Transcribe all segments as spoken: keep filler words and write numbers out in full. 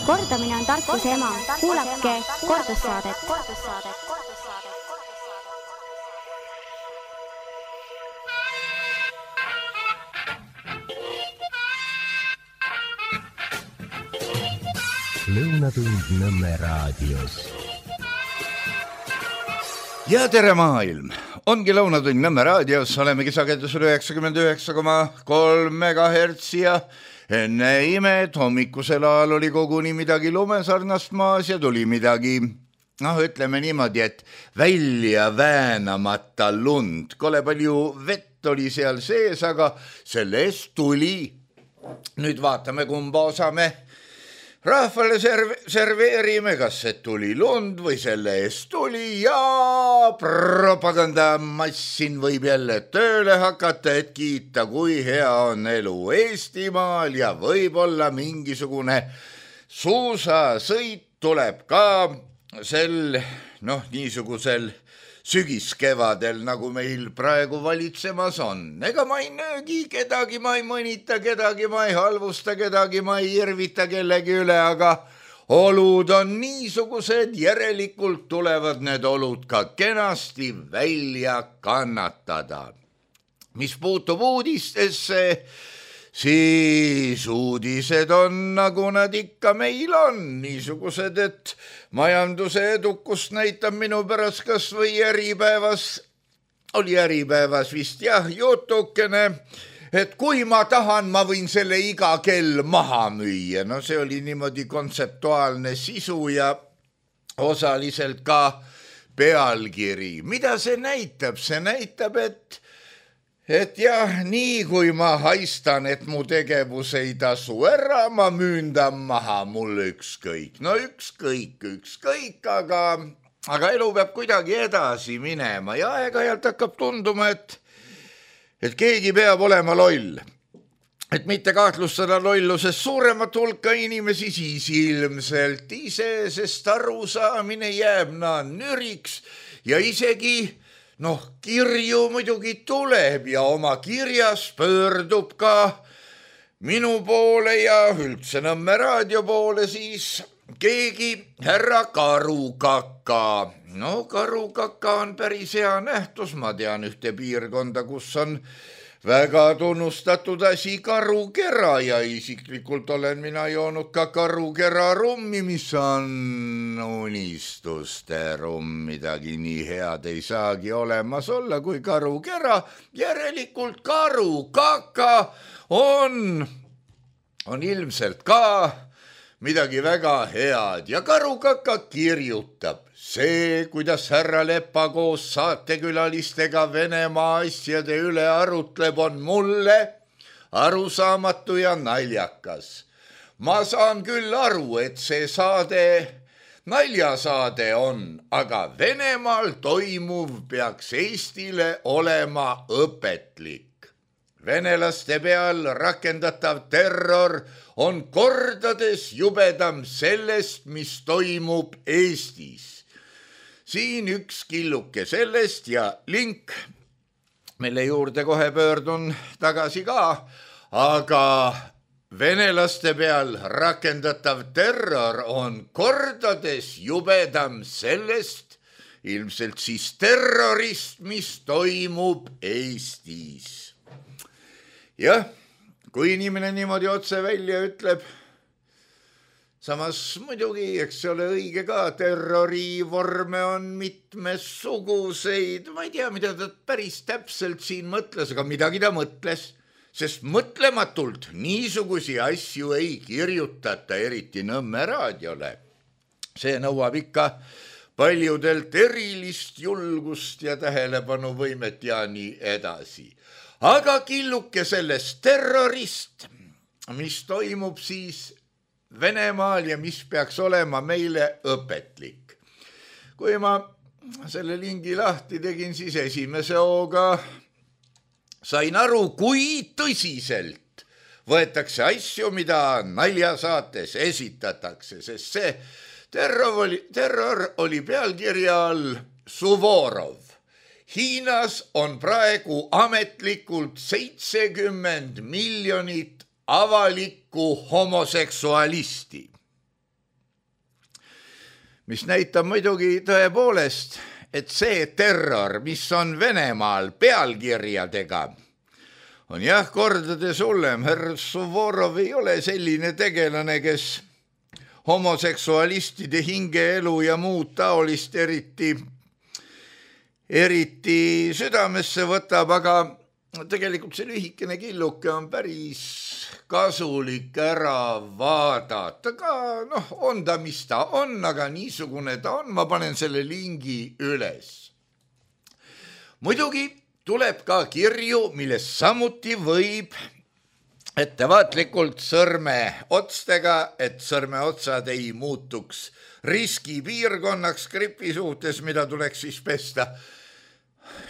Kordamine on tarkuse ema. Kuulake kordussaadet. Lõunatund Nõmme raadios. Ja tere maailm! Ongi Lõunatund Nõmme raadios, olemegi sagedusel üheksakümmend üheksa koma kolm megahertsi ja enne imed hommikusel ajal oli koguni midagi lumesarnast maas ja tuli midagi, noh ütleme niimoodi, et välja väänamata lund. Kole palju vett oli seal sees, aga selle eest tuli. Nüüd vaatame, kumba osa me rahvale serv- serveerime, kas see tuli lund või selle eest tuli ja propagandamassin võib jälle tööle hakata, et kiita, kui hea on elu Eestimaal ja võib-olla mingisugune suusasõit tuleb ka sel, noh, niisugusel sügiskevadel, nagu meil praegu valitsemas on. Ega ma ei nöögi kedagi, ma ei mõnita kedagi, ma ei halvusta kedagi, ma ei irvita kellegi üle, aga olud on niisugused, järelikult tulevad need olud ka kenasti välja kannatada. Mis puutub uudistesse, siis uudised on, nagu nad ikka meil on, niisugused, et majanduse edukust näitab minu pärast kas või äripäevas, oli äripäevas vist jah, jutukene, et kui ma tahan, ma võin selle iga kell maha müüa. No see oli niimoodi kontseptuaalne sisu ja osaliselt ka pealkiri. Mida see näitab? See näitab, et Et jah, nii kui ma haistan, et mu tegevus ei tasu ära, ma müündan maha mulle ükskõik. No ükskõik, ükskõik, aga, aga elu peab kuidagi edasi minema ja aeg-ajalt hakkab tunduma, et, et keegi peab olema loll. Et mitte kahtlustada lollusest suuremat hulka inimesi, siis ilmselt ise, sest arusaamine jääb naa nüriks ja isegi noh, kirju muidugi tuleb ja oma kirjas pöördub ka minu poole ja üldse Nõmme raadio poole siis keegi härra Karukaka. No Karukaka on päris hea nähtus, ma tean ühte piirkonda, kus on väga tunnustatud asi karukera ja isiklikult olen mina joonud ka karukera rummi, mis on unistuste rumm, midagi nii head ei saagi olemas olla kui karukera, järelikult Karukaka on, on ilmselt ka midagi väga head ja Karukaka kirjutab. See, kuidas härra Lepa koos saatekülalistega Venemaa asjade üle arutleb, on mulle arusaamatu ja naljakas. Ma saan küll aru, et see saade naljasaade on, aga Venemaal toimuv peaks Eestile olema õpetlik. Venelaste peal rakendatav terror on kordades jubedam sellest, mis toimub Eestis. Siin üks killuke sellest ja link, mille juurde kohe pöördun tagasi ka, aga venelaste peal rakendatav terror on kordades jubedam sellest, ilmselt siis terrorist, mis toimub Eestis. Jah, kui inimene niimoodi otse välja ütleb, samas muidugi, eks see ole õige ka, terrorivorme on mitmesuguseid, ma ei tea, mida ta päris täpselt siin mõtles, aga midagi ta mõtles, sest mõtlematult niisugusi asju ei kirjutata, eriti Nõmme raadiole. See nõuab ikka paljudelt erilist julgust ja tähelepanuvõimet ja nii edasi. Aga killuke sellest terrorist, mis toimub siis Venemaal ja mis peaks olema meile õpetlik. Kui ma selle lingi lahti tegin, siis esimese hooga sain aru, kui tõsiselt võetakse asju, mida naljasaates esitatakse, sest see terror oli, terror oli pealkirja all Suvorov. Hiinas on praegu ametlikult seitsekümmend miljonit avalikku homoseksualisti. mis näitab muidugi tõepoolest, et see terror, mis on Venemaal pealkirjadega, on jah kordades hullem. Herr Suvorov ei ole selline tegelane, kes homoseksualistide hingeelu ja muud taolist eriti, eriti südamesse võtab, aga tegelikult see lühikene killuke on päris kasulik ära vaadata. Ka noh, on ta, mis ta on, aga niisugune ta on. Ma panen selle lingi üles. Muidugi tuleb ka kirju, milles samuti võib ettevaatlikult sõrme otstega, et sõrme otsad ei muutuks riskipiirkonnaks gripi suhtes, mida tuleks siis pesta.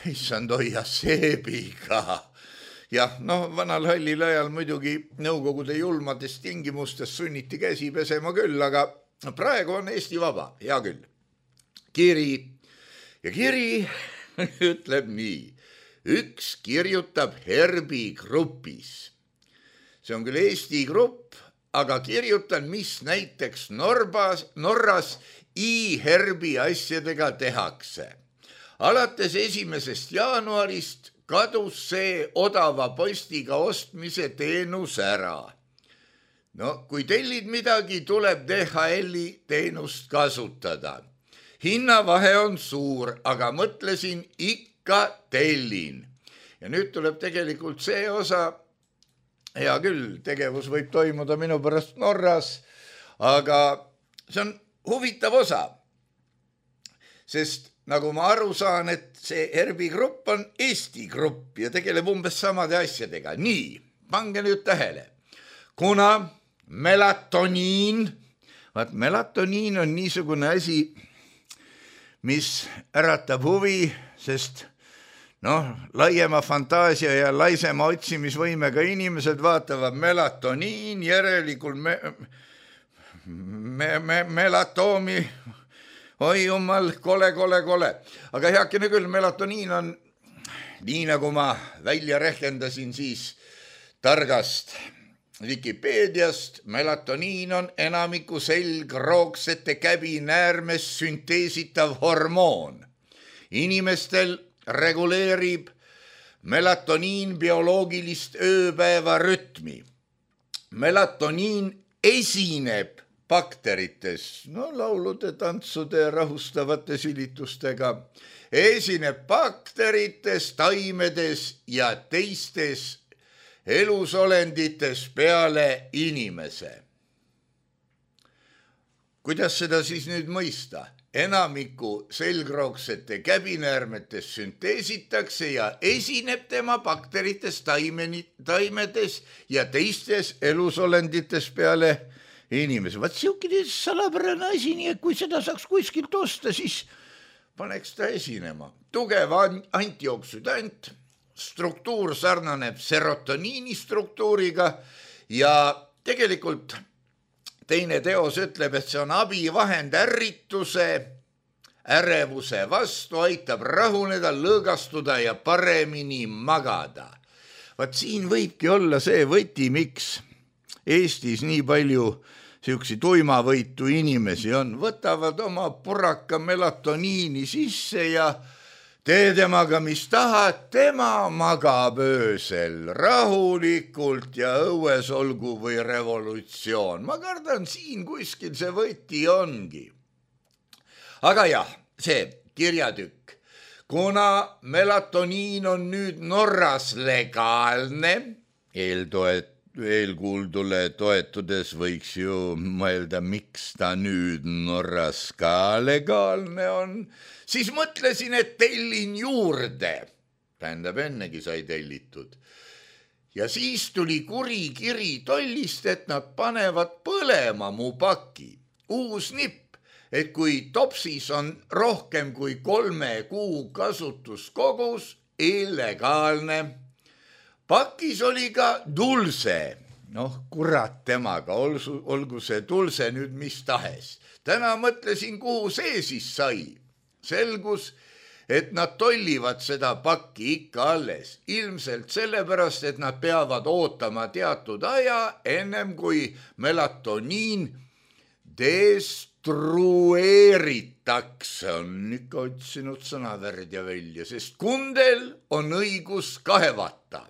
Issand hoia seebiga. Jah, noh, vanal hallil ajal muidugi nõukogude julmades tingimustes sunniti käsi pesema küll, aga praegu on Eesti vaba, hea küll. Kiri ja kiri ütleb nii. Üks kirjutab Herbi grupis. See on küll Eesti grupp, aga kirjutan, mis näiteks Norbas, Norras i-Herbi asjadega tehakse. Alates esimesest jaanuarist kadus see odava postiga ostmise teenus ära. No, kui tellid midagi, tuleb D H L-i teenust kasutada. Hinnavahe on suur, aga mõtlesin ikka tellin. Ja nüüd tuleb tegelikult see osa, hea küll, tegevus võib toimuda minu pärast Norras, aga see on huvitav osa, sest nagu ma aru saan, et see Herbi grupp on Eesti grupp ja tegeleb umbes samade asjadega. Nii, pange nüüd tähele. Kuna melatoniin, vaat melatoniin on niisugune asi, mis äratab huvi, sest noh, laiema fantaasia ja laisema otsimisvõimega inimesed vaatavad melatoniin, järelikult me, me, me, melatoomi, oi jumal, kole, kole, kole. Aga heakene küll, melatoniin on, nii nagu ma välja rehkendasin siis targast Wikipeediast, melatoniin on enamiku selgroogsete käbinäärmes sünteesitav hormoon. Inimestel reguleerib melatoniin bioloogilist ööpäeva rütmi. Melatoniin esineb bakterites, no laulude, tantsude, rahustavate silitustega, esineb bakterites, taimedes ja teistes elusolendites peale inimese. Kuidas seda siis nüüd mõista? Enamiku selgroogsete käbinäärmetes sünteesitakse ja esineb tema bakterites, taimeni, taimedes ja teistes elusolendites peale inimese. Vaat siukene salapärane asi, nii et kui seda saaks kuskilt osta, siis paneks ta esinema. Tugev antioksüdant, struktuur sarnaneb serotoniini struktuuriga ja tegelikult teine teos ütleb, et see on abivahend ärrituse, ärevuse vastu, aitab rahuneda, lõõgastuda ja paremini magada. Vaat siin võibki olla see võti, miks Eestis nii palju siuksi tuimavõitu inimesi on. Võtavad oma puraka melatoniini sisse ja tee temaga, mis tahad, tema magab öösel rahulikult ja õues olgu või revolutsioon. Ma kardan, siin kuskil see võti ongi. Aga jah, see kirjatükk. Kuna melatoniin on nüüd Norras legaalne, eeltoet, eelkuuldule toetudes võiks ju mõelda, miks ta nüüd Norras ka legaalne on, siis mõtlesin, et tellin juurde. Tähendab, ennegi sai tellitud. Ja siis tuli kuri kiri tollist, et nad panevad põlema mu paki. Uus nipp, et kui topsis on rohkem kui kolme kuu kasutuskogus, illegaalne. Pakis oli ka dulse. Noh, kurat temaga, olgu see dulse nüüd mis tahes. Täna mõtlesin, kuhu see siis sai. Selgus, et nad tollivad seda pakki ikka alles. Ilmselt sellepärast, et nad peavad ootama teatud aja, ennem kui melatoniin des konstrueeritakse, on ikka otsinud sõnavärdja välja, sest kundel on õigus kahevata.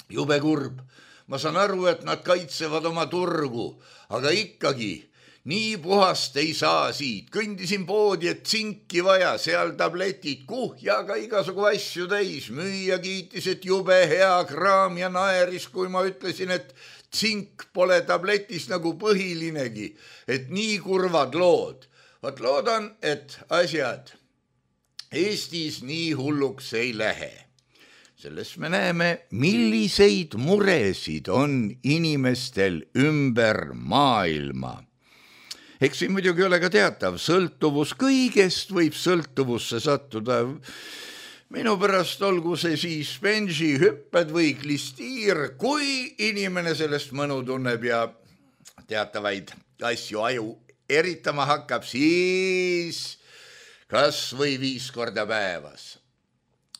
Jube kurb. Ma saan aru, et nad kaitsevad oma turgu, aga ikkagi nii puhast ei saa siit. Kõndisin poodi, et tsinki vaja, seal tabletid, kuhjaga igasugu asju täis. Müüja kiitis, et jube hea kraam ja naeris, kui ma ütlesin, et tsink pole tabletis nagu põhilinegi, et nii kurvad lood. Vaat loodan, et asjad Eestis nii hulluks ei lähe. Sellest me näeme, milliseid muresid on inimestel ümber maailma. Eks siin muidugi ole ka teatav, sõltuvus kõigest võib sõltuvusse sattuda. Minu pärast olgu see siis benži hüpped või klistiir, kui inimene sellest mõnu tunneb ja teatavaid asju aju eritama hakkab, siis kas või viis korda päevas.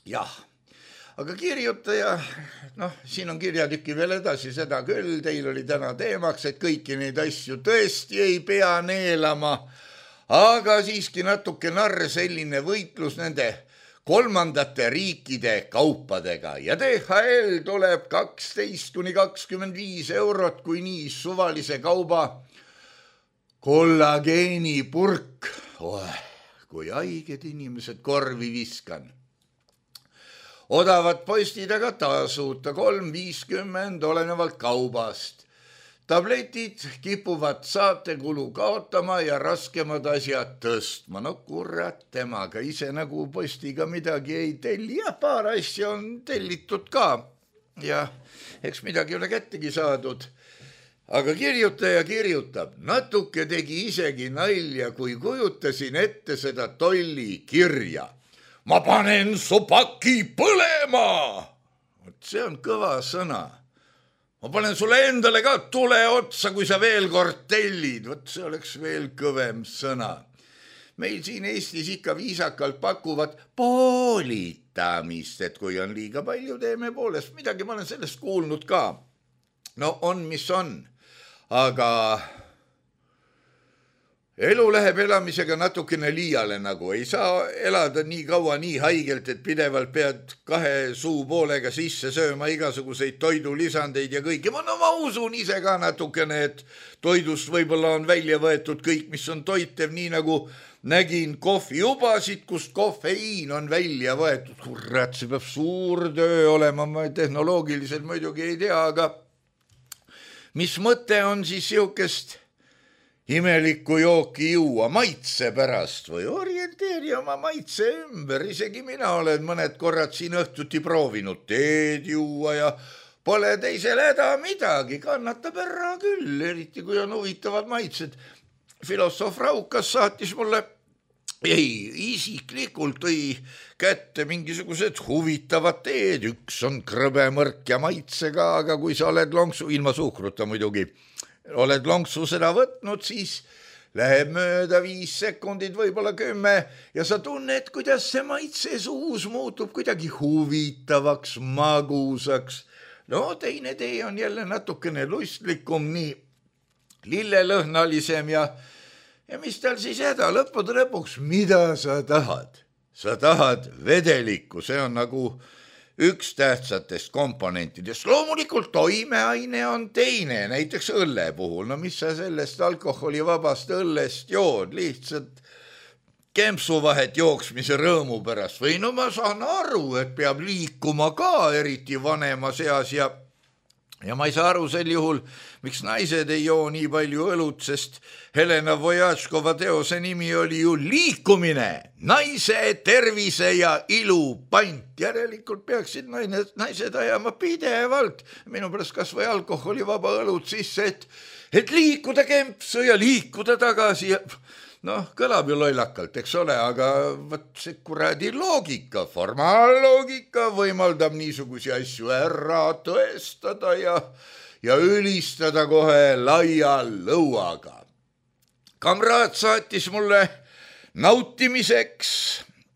Jah, aga kirjutaja, noh, siin on kirjatüki veel edasi seda küll, teil oli täna teemaks, et kõiki neid asju tõesti ei pea neelama, aga siiski natuke narr selline võitlus nende kolmandate riikide kaupadega ja D H L tuleb kaksteist kuni kakskümmend viis eurot, kui nii suvalise kauba kollageenipurk. Oh, kui haiged inimesed korvi viskan. Odavad postid aga tasuta kolm viiskümmend olenevalt kaubast. Tabletid kipuvad saatekulu kaotama ja raskemad asjad tõstma. No kurat temaga, ise nagu postiga midagi ei telli. Ja paar asja on tellitud ka. Ja eks midagi ole kättegi saadud. Aga kirjutaja kirjutab, natuke tegi isegi nalja, kui kujutasin ette seda tolli kirja. Ma panen su paki põlema. See on kõva sõna. Ma panen sulle endale ka tule otsa, kui sa veel kord tellid. Võt see oleks veel kõvem sõna. Meil siin Eestis ikka viisakalt pakuvad poolitamist, et kui on liiga palju, teeme poolest midagi. Ma olen sellest kuulnud ka. No on, mis on. Aga elu läheb elamisega natukene liiale nagu. Ei saa elada nii kaua nii haigelt, et pidevalt pead kahe suu poolega sisse sööma igasuguseid toidulisandeid ja kõike. No ma usun ise ka natukene, et toidust võib-olla on välja võetud kõik, mis on toitev, nii nagu nägin kohvijubasid, kust kofeiin on välja võetud. Kurat, see peab suur töö olema, ma tehnoloogiliselt muidugi ei tea, aga mis mõte on siis siukest imelikku jooki juua maitse pärast või orienteeri oma maitse ümber. Isegi mina olen mõned korrad siin õhtuti proovinud teed juua ja pole teisel häda midagi, kannatab ära küll, eriti kui on huvitavad maitsed. Filosoof Raukas saatis mulle, ei, isiklikult tõi kätte mingisugused huvitavad teed, üks on krõbemõrk ja maitsega, aga kui sa oled lonksu, ilma suhkruta muidugi, oled lonksu seda võtnud, siis läheb mööda viis sekundit, võib-olla kümme ja sa tunned, kuidas see maitse suus muutub kuidagi huvitavaks, magusaks. No teine tee on jälle natukene lustlikum, nii lillelõhnalisem ja, ja mis tal siis häda, lõppude lõpuks, mida sa tahad? Sa tahad vedelikku, see on nagu üks tähtsatest komponentidest. Loomulikult toimeaine on teine, näiteks õlle puhul. No mis sa sellest alkoholivabast õllest jood, lihtsalt kempsuvahet jooksmise rõõmu pärast. Või no ma saan aru, et peab liikuma ka eriti vanema seas ja Ja ma ei saa aru sel juhul, miks naised ei joo nii palju õlut, sest Helena Vojačkova teose nimi oli ju liikumine, naise tervise ja ilu pant. Järelikult peaksid naised ajama pidevalt, minu pärast kas või alkoholivaba õlut sisse, et, et liikuda kempsu ja liikuda tagasi ja noh, kõlab ju lollakalt, eks ole, aga võt see kuradi loogika, formaalloogika võimaldab niisugusi asju ära tõestada ja, ja ülistada kohe laia lõuaga. Kamraad saatis mulle nautimiseks,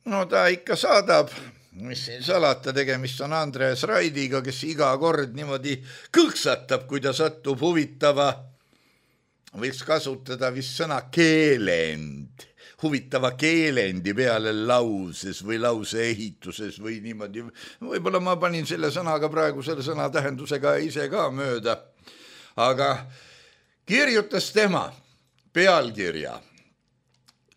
no ta ikka saadab, mis siin salata, tegemist on Andres Raidiga, kes iga kord niimoodi kõksatab, kui ta satub huvitava võiks kasutada vist sõna keelend, huvitava keelendi peale lauses või lause ehituses või niimoodi. Võib-olla ma panin selle sõnaga praegu selle sõna tähendusega ise ka mööda, aga kirjutas tema pealkirja.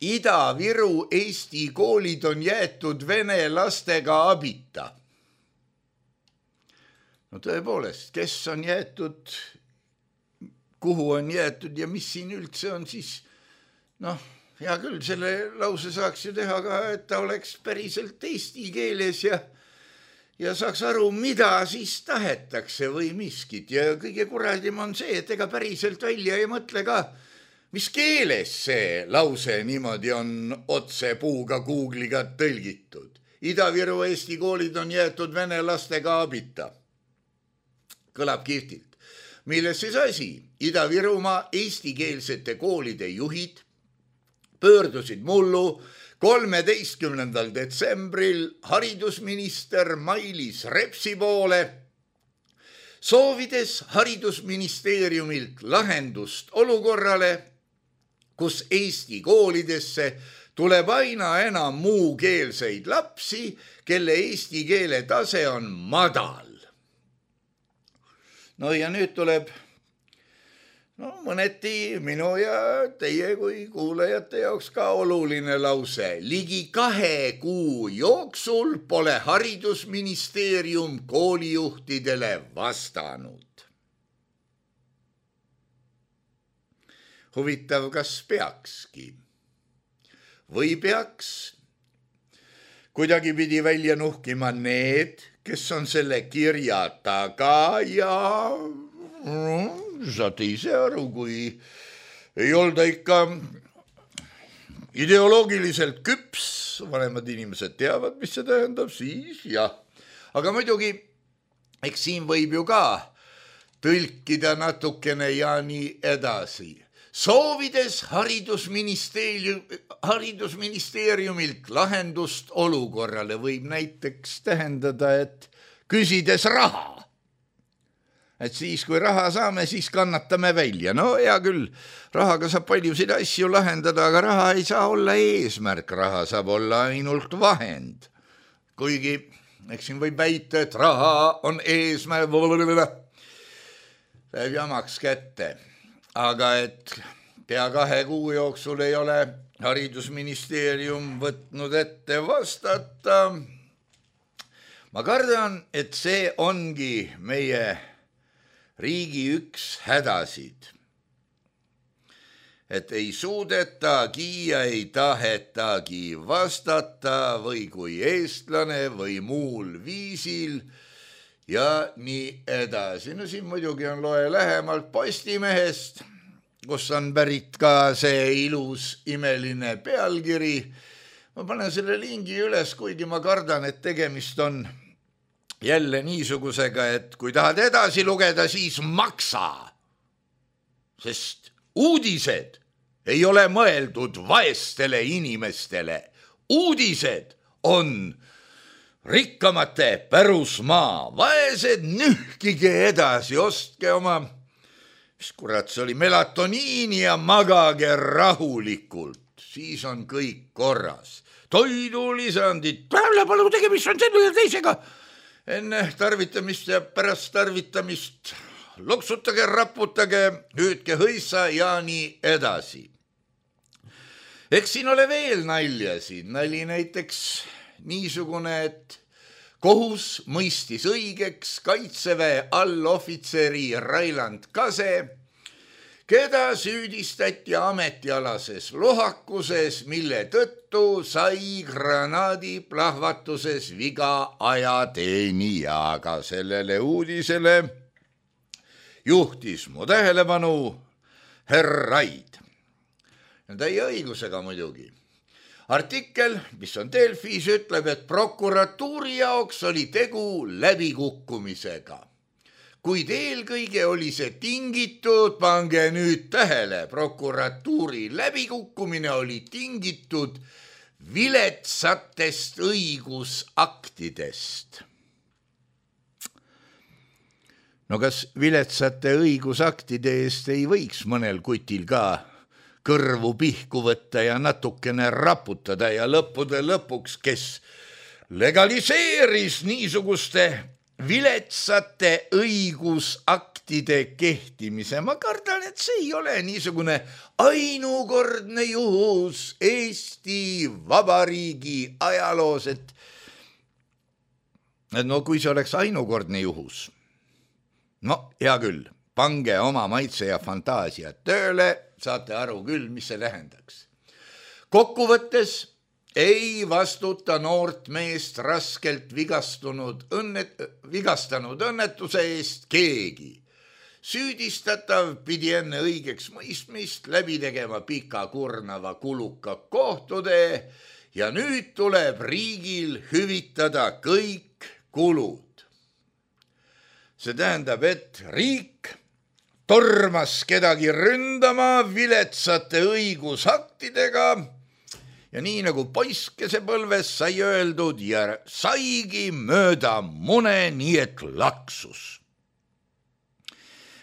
Ida-Viru Eesti koolid on jäetud vene lastega abita. No tõepoolest, kes on jäetud, kuhu on jäetud ja mis siin üldse on siis, noh, hea küll, selle lause saaks ju teha ka, et ta oleks päriselt eesti keeles ja, ja saaks aru, mida siis tahetakse või miskit. Ja kõige kuradim on see, et ega päriselt välja ei mõtle ka, mis keeles see lause niimoodi on otse puuga Google'iga tõlgitud. Ida-Viru Eesti koolid on jäetud vene lastega abita. Kõlab kihvtilt. Milles siis asi? Ida-Virumaa eestikeelsete koolide juhid pöördusid mullu kolmeteistkümnendal detsembril haridusminister Mailis Repsi poole, soovides haridusministeeriumilt lahendust olukorrale, kus Eesti koolidesse tuleb aina enam muukeelseid lapsi, kelle eesti keele tase on madal. No ja nüüd tuleb no, mõneti minu ja teie kui kuulajate jaoks ka oluline lause. Ligi kahe kuu jooksul pole haridusministeerium koolijuhtidele vastanud. Huvitav, kas peakski või peaks kuidagi pidi välja nuhkima need, kes on selle kirja taga ja no, saate ise aru, kui ei olda ikka ideoloogiliselt küps, vanemad inimesed teavad, mis see tähendab, siis jah. Aga muidugi, eks siin võib ju ka tõlkida natukene ja nii edasi. Soovides haridusministeerium, haridusministeeriumilt lahendust olukorrale võib näiteks tähendada, et küsides raha. Et siis, kui raha saame, siis kannatame välja. No hea küll, rahaga saab paljusid asju lahendada, aga raha ei saa olla eesmärk, raha saab olla ainult vahend. Kuigi, eks siin võib väita, et raha on eesmärk, läheb jamaks kätte. Aga et pea kahe kuu jooksul ei ole haridusministeerium võtnud ette vastata. Ma kardan, et see ongi meie riigi üks hädasid. Et ei suudetagi ja ei tahetagi vastata või kui eestlane või muul viisil ja nii edasi. No siin muidugi on loe lähemalt Postimehest, kus on pärit ka see ilus imeline pealkiri. Ma panen selle lingi üles, kuigi ma kardan, et tegemist on jälle niisugusega, et kui tahad edasi lugeda, siis maksa. Sest uudised ei ole mõeldud vaestele inimestele. Uudised on rikkamate pärusmaa, vaesed nühkige edasi, ostke oma, mis kurat see oli, melatoniini ja magage rahulikult, siis on kõik korras. Toidulisandid, palun tegemist on selle ja teisega, enne tarvitamist ja pärast tarvitamist loksutage, raputage, hüüdke hõissa ja nii edasi. Eks siin ole veel naljasid, nali näiteks niisugune, et kohus mõistis õigeks Kaitseväe allohvitseri Railand Kase, keda süüdistati ametialases lohakuses, mille tõttu sai granaadi plahvatuses viga ajateenijaga. Sellele uudisele juhtis mu tähelepanu herr Raid. Täie õigusega muidugi. Artikkel, mis on Delfis, ütleb, et prokuratuuri jaoks oli tegu läbikukkumisega. Kuid eelkõige oli see tingitud, pange nüüd tähele, prokuratuuri läbikukkumine oli tingitud viletsatest õigusaktidest. no kas viletsate õigusaktide eest ei võiks mõnel kutil ka kõrvu pihku võtta ja natukene raputada ja lõppude lõpuks, kes legaliseeris niisuguste viletsate õigusaktide kehtimise. Ma kardan, et see ei ole niisugune ainukordne juhus Eesti Vabariigi ajaloos, et no kui see oleks ainukordne juhus, no hea küll, pange oma maitse ja fantaasia tööle, saate aru küll, mis see tähendaks. Kokkuvõttes ei vastuta noort meest raskelt vigastunud õnnet, vigastanud õnnetuse eest keegi. Süüdistatav pidi enne õigeks mõistmist läbi tegema pika kurnava kuluka kohtutee ja nüüd tuleb riigil hüvitada kõik kulud. See tähendab, et riik tormas kedagi ründama viletsate õigusaktidega ja nii nagu poiskesepõlves sai öeldud ja saigi mööda mune, nii et laksus.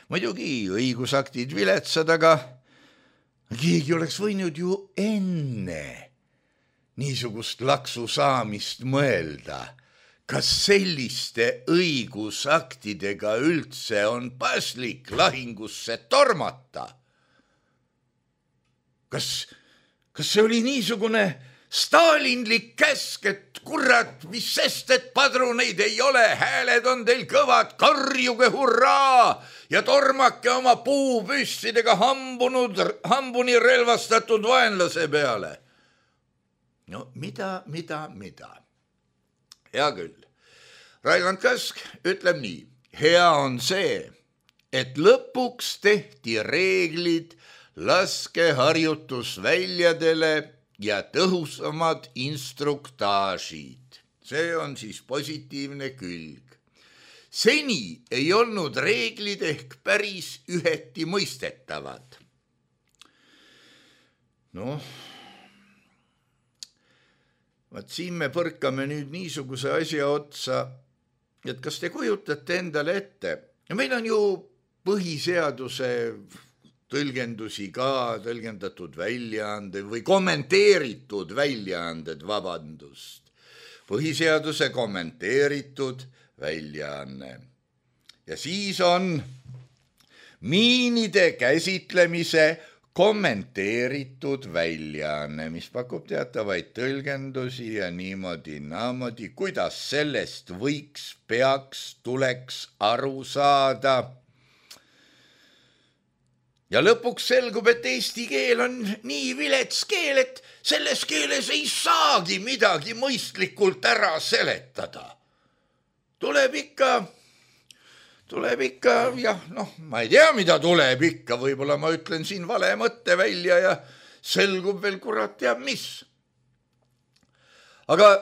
Muidugi õigusaktid viletsad, aga keegi oleks võinud ju enne niisugust laksu saamist mõelda. Kas selliste õigusaktidega üldse on paslik lahingusse tormata? Kas Kas see oli niisugune stalinlik käsk, et kurat, mis sest, et padruneid ei ole, hääled on teil kõvad, karjuge hurraa ja tormake oma puupüssidega hambunud, hambuni relvastatud vaenlase peale. No mida, mida, mida? Hea küll. Railand Kask ütleb nii, hea on see, et lõpuks tehti reeglid laskeharjutusväljadele ja tõhusamad instruktaažid. See on siis positiivne külg. Seni ei olnud reeglid ehk päris üheti mõistetavad. Noh, vaat siin me põrkame nüüd niisuguse asja otsa, et kas te kujutate endale ette, meil on ju põhiseaduse tõlgendusi ka, tõlgendatud väljaande või kommenteeritud väljaanded, vabandust. Põhiseaduse kommenteeritud väljaanne. Ja siis on miinide käsitlemise kommenteeritud väljaanne, mis pakub teatavaid tõlgendusi ja niimoodi, naamodi, kuidas sellest võiks, peaks, tuleks aru saada. Ja lõpuks selgub, et eesti keel on nii vilets keel, et selles keeles ei saagi midagi mõistlikult ära seletada. Tuleb ikka, tuleb ikka, jah, noh, ma ei tea, mida tuleb ikka, võib-olla ma ütlen siin vale mõtte välja ja selgub veel kurat teab mis. Aga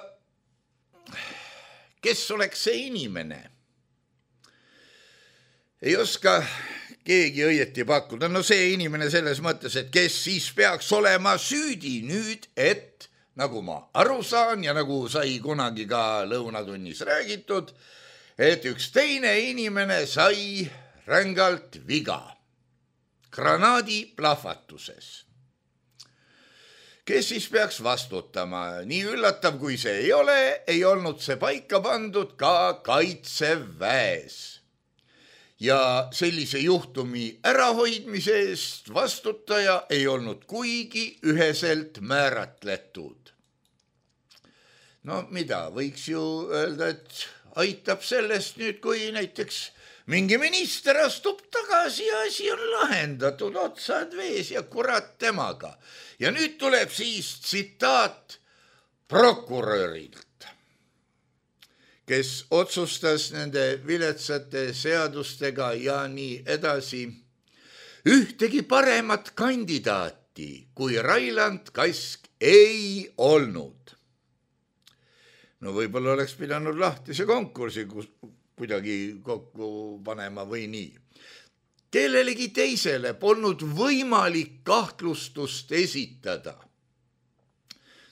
kes oleks see inimene? Ei oska keegi õieti pakkuda. No see inimene selles mõttes, et kes siis peaks olema süüdi nüüd, et nagu ma aru saan ja nagu sai kunagi ka lõunatunnis räägitud, et üks teine inimene sai rängalt viga granaadi plahvatuses. Kes siis peaks vastutama? Nii üllatav kui see ei ole, ei olnud see paika pandud ka Kaitseväes. Ja sellise juhtumi ärahoidmise eest vastutaja ei olnud kuigi üheselt määratletud. No mida, võiks ju öelda, et aitab sellest nüüd, kui näiteks mingi minister astub tagasi ja asi on lahendatud, otsad vees ja kurat temaga. Ja nüüd tuleb siis tsitaat prokurörilt, kes otsustas nende viletsate seadustega ja nii edasi. Ühtegi paremat kandidaati kui Railand Kask ei olnud. No võib-olla oleks pidanud lahtise konkursi kuidagi kokku panema või nii. Kellelegi teisele polnud võimalik kahtlustust esitada.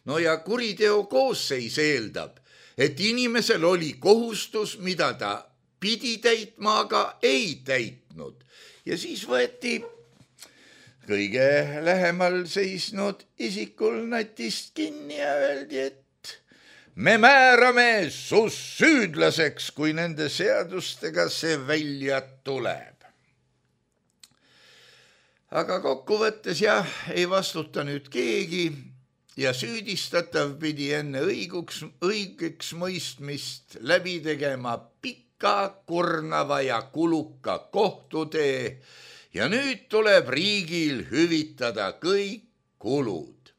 No ja kuriteo koosseis eeldab, et inimesel oli kohustus, mida ta pidi täitma, aga ei täitnud. Ja siis võeti kõige lähemal seisnud isikul natist kinni ja öeldi, et me määrame sus süüdlaseks, kui nende seadustega see välja tuleb. Aga kokkuvõttes jah, ei vastuta nüüd keegi ja süüdistatav pidi enne õiguks, õigeks mõistmist läbi tegema pika, kurnava ja kuluka kohtutee ja nüüd tuleb riigil hüvitada kõik kulud.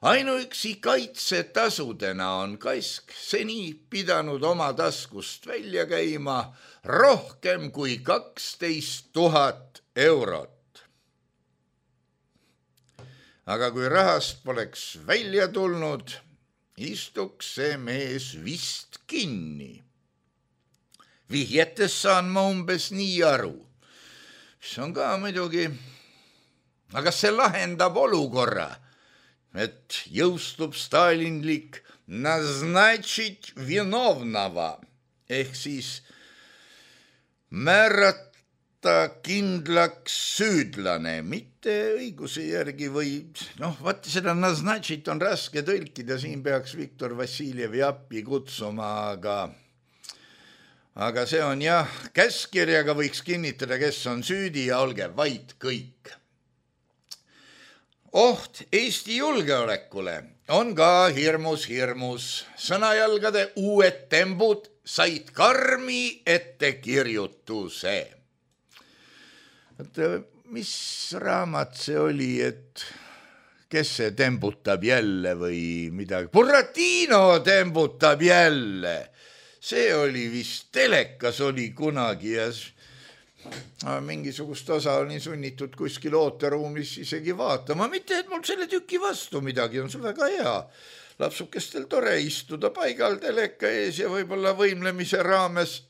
Ainuüksi kaitsetasudena on Kask seni pidanud oma taskust välja käima rohkem kui kaksteist tuhat eurot. Aga kui rahast poleks välja tulnud, istuks see mees vist kinni. Vihjetes saan ma umbes nii aru. See on ka muidugi, aga see lahendab olukorra, et jõustub stalinlik naznatšit vinovnava ehk siis määrata kindlaks süüdlane, mitte õiguse järgi või noh, vaat seda naznatšit on raske tõlkida, siin peaks Viktor Vassiljevi appi kutsuma, aga aga see on jah, käskkirjaga võiks kinnitada, kes on süüdi ja olge vait kõik. Oht Eesti julgeolekule on ka hirmus hirmus. Sõnajalgade uued tembud said karmi ettekirjutuse. Mis raamat see oli, et kes see tembutab jälle või midagi? Buratino tembutab jälle. See oli vist telekas oli kunagi ja mingisugust osa oli sunnitud kuskil ooteruumis isegi vaatama. Mitte, et mul selle tüki vastu midagi on, see väga hea. Lapsukestel tore istuda paigal teleka ees ja võib-olla võimlemise raames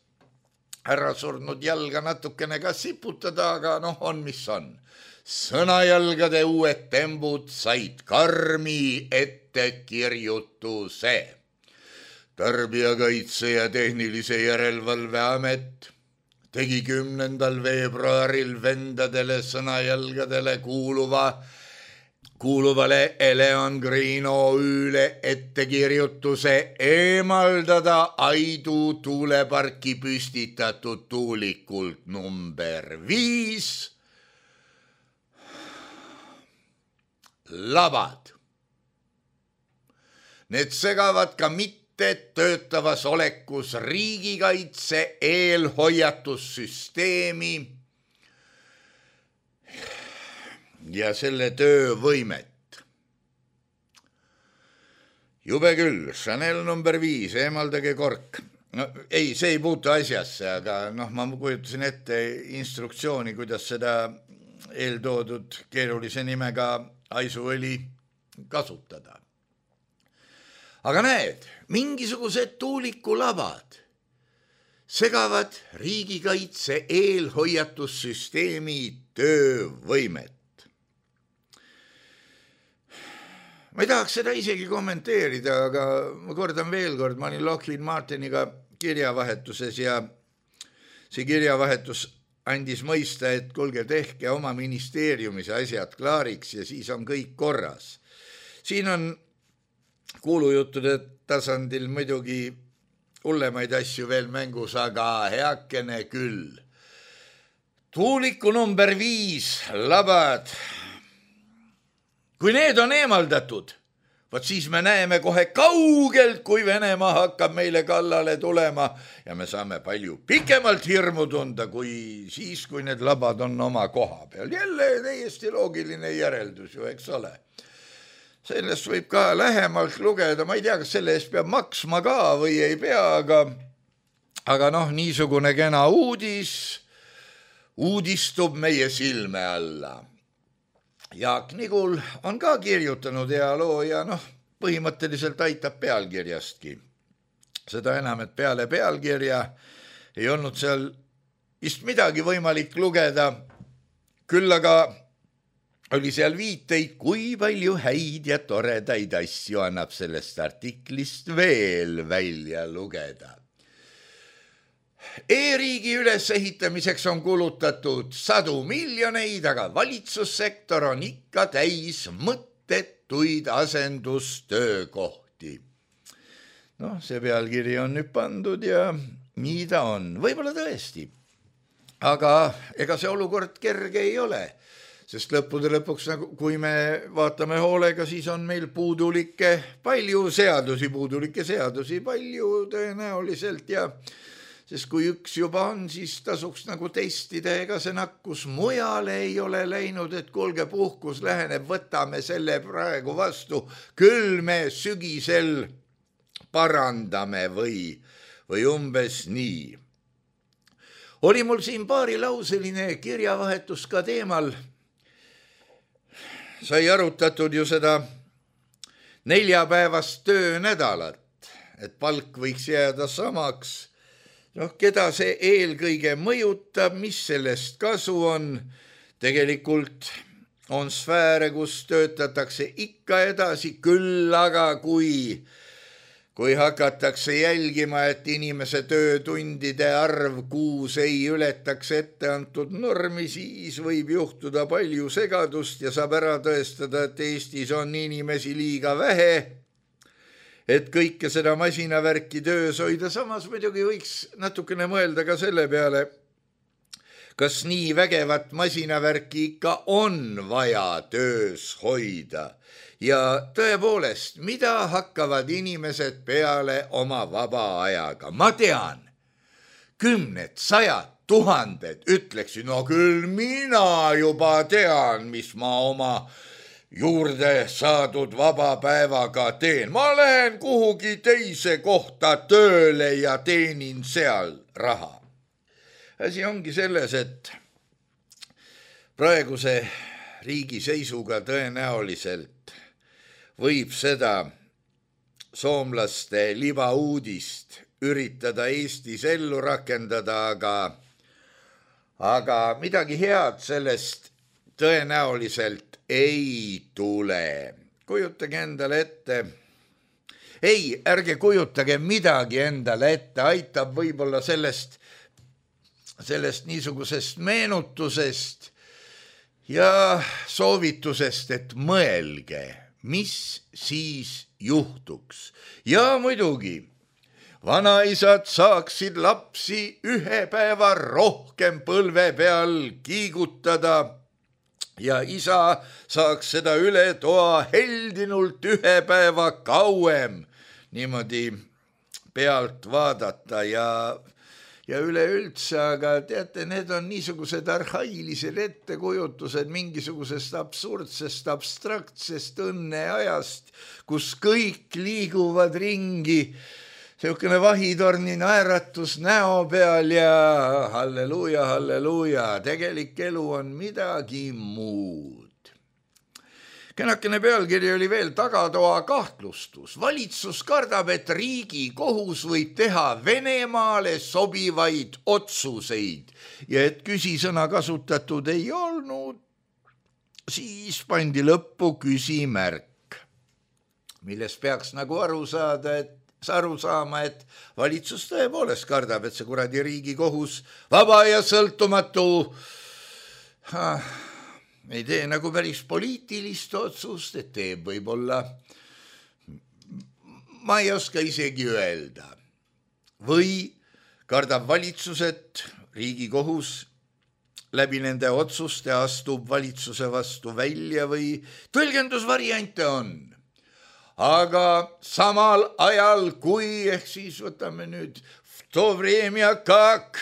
ära surnud jalga natukene ka siputada, aga noh, on mis on. Sõnajalgade uued tembud said karmi ettekirjutuse. Tarbijakaitse ja tehnilise järelevalve amet tegi kümnendal veebruaril vendadele sõnajalgadele kuuluva, kuuluvale Eleon Green O Üle ettekirjutuse eemaldada Aidu tuuleparki püstitatud tuulikult number viis labad. Need segavad ka mitte töötavas olekus riigikaitse eelhoiatussüsteemi ja selle töövõimet. Jube küll, Chanel number viis, eemaldage kork. No, ei, see ei puutu asjasse, aga noh, ma kujutasin ette instruktsiooni, kuidas seda eeltoodud keerulise nimega aisuõli kasutada. Aga näed, mingisugused tuulikulabad segavad riigikaitse eelhoiatussüsteemi töövõimet. Ma ei tahaks seda isegi kommenteerida, aga ma kordan veel kord, ma olin Lockheed Martiniga kirjavahetuses ja see kirjavahetus andis mõista, et kulge tehke oma ministeeriumis asjad klaariks ja siis on kõik korras. Siin on kuulujuttude tasandil muidugi hullemaid asju veel mängus, aga heakene küll. Tuuliku number viis labad. Kui need on eemaldatud, võt siis me näeme kohe kaugelt, kui Venemaa hakkab meile kallale tulema ja me saame palju pikemalt hirmu tunda, kui siis, kui need labad on oma koha peal. Jälle täiesti loogiline järeldus ju, eks ole. Sellest võib ka lähemalt lugeda, ma ei tea, kas selle eest peab maksma ka või ei pea, aga, aga noh, niisugune kena uudis uudistub meie silme alla. Jaak Nigul on ka kirjutanud hea loo ja noh, põhimõtteliselt aitab pealkirjastki. Seda enam, et peale pealkirja ei olnud seal vist midagi võimalik lugeda, küll aga oli seal viiteid, kui palju häid ja toredaid asju annab sellest artiklist veel välja lugeda. E-riigi ülesehitamiseks on kulutatud sadu miljoneid, aga valitsussektor on ikka täis mõttetuid asendustöökohti. Noh, see pealkiri on nüüd pandud ja nii ta on. Võib-olla tõesti. Aga ega see olukord kerge ei ole, sest lõppude lõpuks, kui me vaatame hoolega, siis on meil puudulikke palju seadusi, puudulikke seadusi palju tõenäoliselt ja sest kui üks juba on, siis tasuks nagu testida, ega see nakkus mujale ei ole läinud, et kuulge, puhkus läheneb, võtame selle praegu vastu, küll me sügisel parandame või, või umbes nii. Oli mul siin paarilauseline kirjavahetus ka teemal, sai arutatud ju seda neljapäevast töönädalat, et palk võiks jääda samaks. Noh, keda see eelkõige mõjutab, mis sellest kasu on? Tegelikult on sfääre, kus töötatakse ikka edasi, küll aga kui, kui hakatakse jälgima, et inimese töötundide arv kuus ei ületaks ette antud normi, siis võib juhtuda palju segadust ja saab ära tõestada, et Eestis on inimesi liiga vähe, et kõike seda masinavärki töös hoida. Samas muidugi võiks natukene mõelda ka selle peale, kas nii vägevat masinavärki ikka on vaja töös hoida. Ja tõepoolest, mida hakkavad inimesed peale oma vaba ajaga? Ma tean, kümned, sajad, tuhanded ütleksin, no küll mina juba tean, mis ma oma juurde saadud vaba päevaga teen. Ma lähen kuhugi teise kohta tööle ja teenin seal raha. Asi ongi selles, et praeguse riigi seisuga tõenäoliselt võib seda soomlaste libauudist üritada Eestis ellu rakendada, aga, aga midagi head sellest tõenäoliselt ei tule. Kujutage endale ette. Ei, ärge kujutage midagi endale ette, aitab võib-olla sellest, sellest niisugusest meenutusest ja soovitusest, et mõelge, mis siis juhtuks. Ja muidugi, vanaisad saaksid lapsi ühe päeva rohkem põlve peal kiigutada ja isa saaks seda üle toa heldinult ühe päeva kauem niimoodi pealt vaadata ja, ja üleüldse, aga teate, need on niisugused arhailised ettekujutused mingisugusest absurdsest, abstraktsest õnneajast, kus kõik liiguvad ringi, selline vahitorni naeratus näo peal ja halleluuja, halleluuja, tegelik elu on midagi muud. Kenakene pealkiri oli veel tagatoa kahtlustus. Valitsus kardab, et riigi kohus võib teha Venemaale sobivaid otsuseid ja et küsisõna kasutatud ei olnud, siis pandi lõppu küsimärk, millest peaks nagu aru saada, et aru saama, et valitsus tõepoolest kardab, et see kuradi riigi kohus vaba ja sõltumatu ha, ei tee nagu päris poliitilist otsust, et teeb võib-olla, ma ei oska isegi öelda. Või kardab valitsus, et riigi kohus läbi nende otsuste astub valitsuse vastu välja või tõlgendusvariante on. Aga samal ajal, kui, ehk siis võtame nüüd to vremja kak,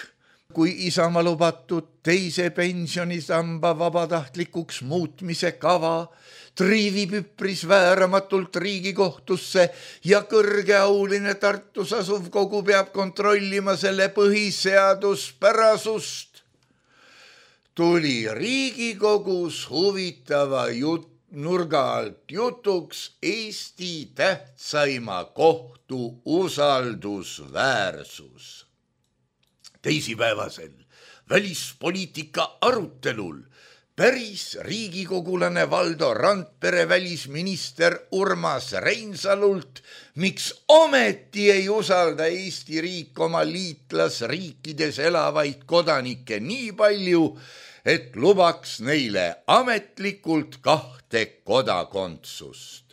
kui Isamaa lubatud teise pensionisamba vabatahtlikuks muutmise kava triivib üpris vääramatult Riigikohtusse ja kõrgeauline Tartus asuv kogu peab kontrollima selle põhiseaduspärasust, tuli Riigikogus huvitava jutt nurga alt jutuks Eesti tähtsaima kohtu usaldusväärsus. Teisipäevasel välispoliitika arutelul päris riigikogulane Valdo Randpere välisminister Urmas Reinsalult, miks ometi ei usalda Eesti riik oma liitlasriikides elavaid kodanikke nii palju, et lubaks neile ametlikult kahte kodakondsust.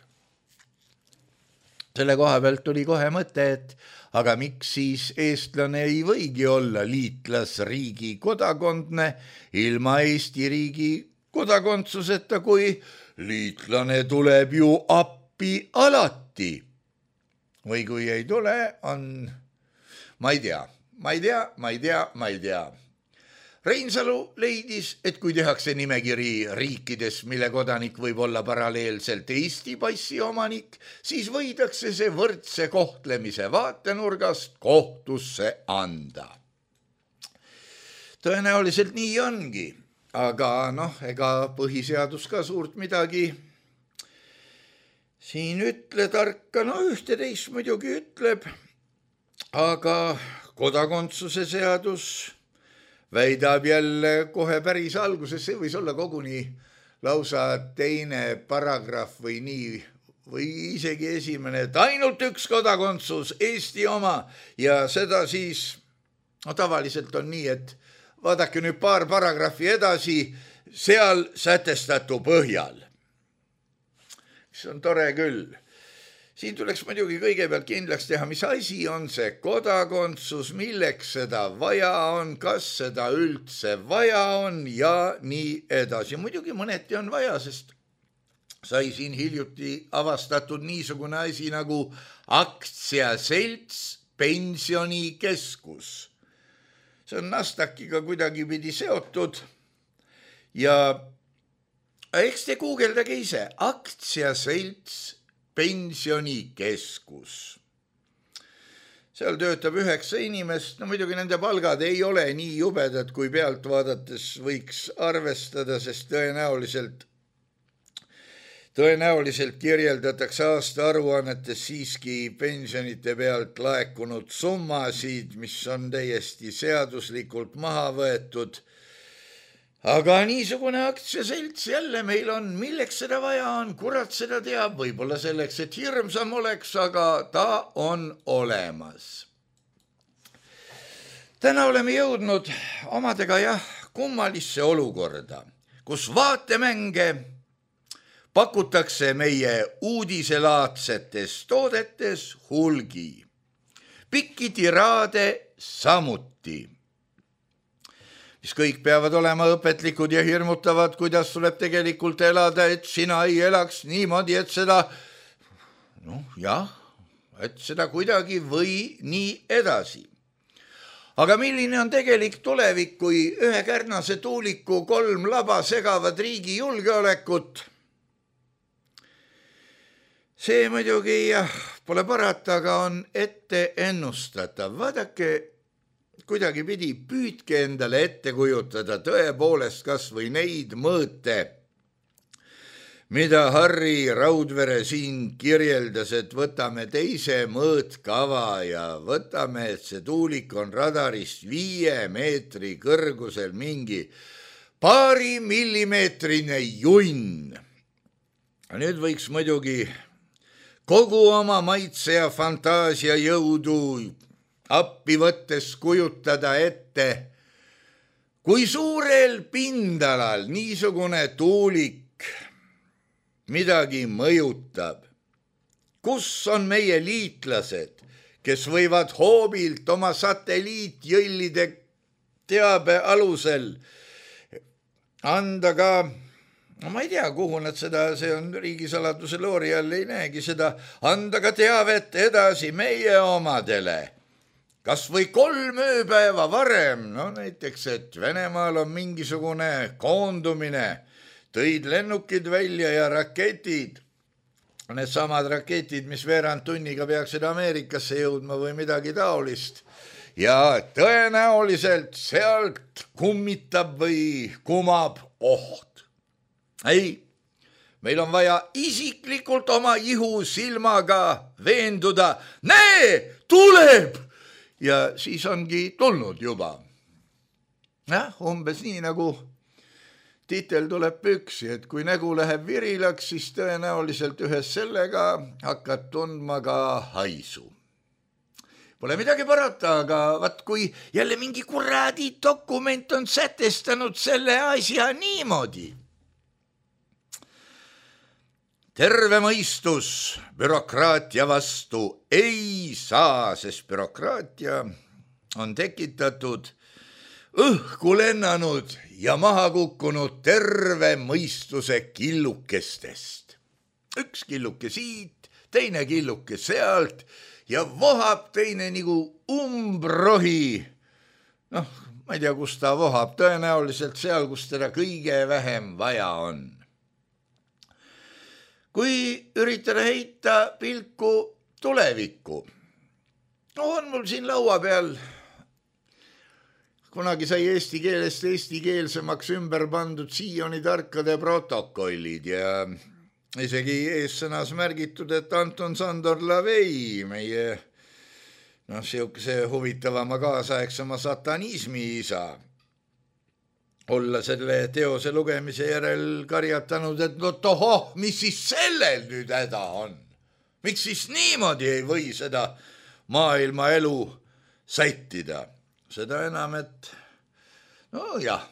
Selle koha pealt tuli kohe mõte, et aga miks siis eestlane ei võigi olla liitlasriigi kodakondne ilma Eesti riigi kodakondsuseta, kui liitlane tuleb ju appi alati. Või kui ei tule, on, ma ei tea, ma ei tea, ma ei tea, ma ei tea. Reinsalu leidis, et kui tehakse nimekiri riikides, mille kodanik võib olla paralleelselt Eesti passi omanik, siis võidakse see võrdse kohtlemise vaatenurgast kohtusse anda. Tõenäoliselt nii ongi, aga noh, ega põhiseadus ka suurt midagi siin ütle tarka, no ühte teist muidugi ütleb, aga kodakondsuse seadus väidab jälle kohe päris alguses, see võis olla koguni lausa teine paragrahv või nii, või isegi esimene, et ainult üks kodakondsus, Eesti oma, ja seda siis, no tavaliselt on nii, et vaadake nüüd paar paragrahvi edasi, seal sätestatu põhjal. See on tore küll. Siin tuleks muidugi kõigepealt kindlaks teha, mis asi on see kodakondsus, milleks seda vaja on, kas seda üldse vaja on ja nii edasi. Muidugi mõneti on vaja, sest sai siin hiljuti avastatud niisugune asi nagu aktsiaselts pensionikeskus. See on Nasdaqiga kuidagi pidi seotud ja eks te guugeldage ise, aktsiaselts pensionikeskus. Seal töötab üheksa inimest, no muidugi nende palgad ei ole nii jubedad, kui pealt vaadates võiks arvestada, sest tõenäoliselt, tõenäoliselt kirjeldatakse aasta aruannetes siiski pensionite pealt laekunud summasid, mis on täiesti seaduslikult maha võetud. Aga niisugune aktsiaselts jälle meil on, milleks seda vaja on, kurat seda teab, võib-olla selleks, et hirmsam oleks, aga ta on olemas. Täna oleme jõudnud omadega jah, kummalisse olukorda, kus vaatemänge pakutakse meie uudiselaadsetes toodetes hulgi. Pikki tiraade samuti, mis kõik peavad olema õpetlikud ja hirmutavad, kuidas tuleb tegelikult elada, et sina ei elaks niimoodi, et seda, noh jah, et seda kuidagi või nii edasi. Aga milline on tegelik tulevik, kui ühe Kärnase tuuliku kolm laba segavad riigi julgeolekut? See muidugi jah, pole parata, aga on ette ennustatav. Vaadake, kuidagi pidi püüdke endale ette kujutada tõepoolest kas või neid mõõte, mida Harri Raudvere siin kirjeldas, et võtame teise mõõtkava ja võtame, et see tuulik on radarist viie meetri kõrgusel mingi paari millimeetrine junn. Nüüd võiks muidugi kogu oma maitse ja fantaasia jõudu appi võttes kujutada ette, kui suurel pindalal niisugune tuulik midagi mõjutab. Kus on meie liitlased, kes võivad hoobilt oma satelliitjõllide teabe alusel anda ka, no ma ei tea, kuhu nad seda, see on riigisaladuse loori all, ei näegi seda, anda ka teavet edasi meie omadele. Kas või kolm ööpäeva varem, no näiteks, et Venemaal on mingisugune koondumine, tõid lennukid välja ja raketid, need samad raketid, mis veerand tunniga peaksid Ameerikasse jõudma või midagi taolist. Ja tõenäoliselt sealt kummitab või kumab oht. Ei, meil on vaja isiklikult oma ihu silmaga veenduda, näe, tuleb! Ja siis ongi tulnud juba. Jah, umbes nii nagu tiitel tuleb püksi, et kui nägu läheb virilaks, siis tõenäoliselt ühes sellega hakkad tundma ka haisu. Pole midagi parata, aga vaat kui jälle mingi kuradi dokument on sätestanud selle asja niimoodi. Terve mõistus bürokraatia vastu ei saa, sest bürokraatia on tekitatud õhku lennanud ja maha kukkunud terve mõistuse killukestest. Üks killuke siit, teine killuke sealt ja vohab teine nagu umbrohi. Noh, ma ei tea, kus ta vohab, tõenäoliselt seal, kus teda kõige vähem vaja on. Kui üritada heita pilku tulevikku, on mul siin laua peal kunagi sai eesti keelest eestikeelsemaks ümber pandud Sioni tarkade protokollid ja isegi eessõnas märgitud, et Anton Sandor Lavei, meie noh, siukese huvitavama kaasaegsema satanismi isa, olla selle teose lugemise järel karjatanud, et no tohoh, mis siis sellel nüüd häda on? Miks siis niimoodi ei või seda maailma elu sättida? Seda enam, et no jah.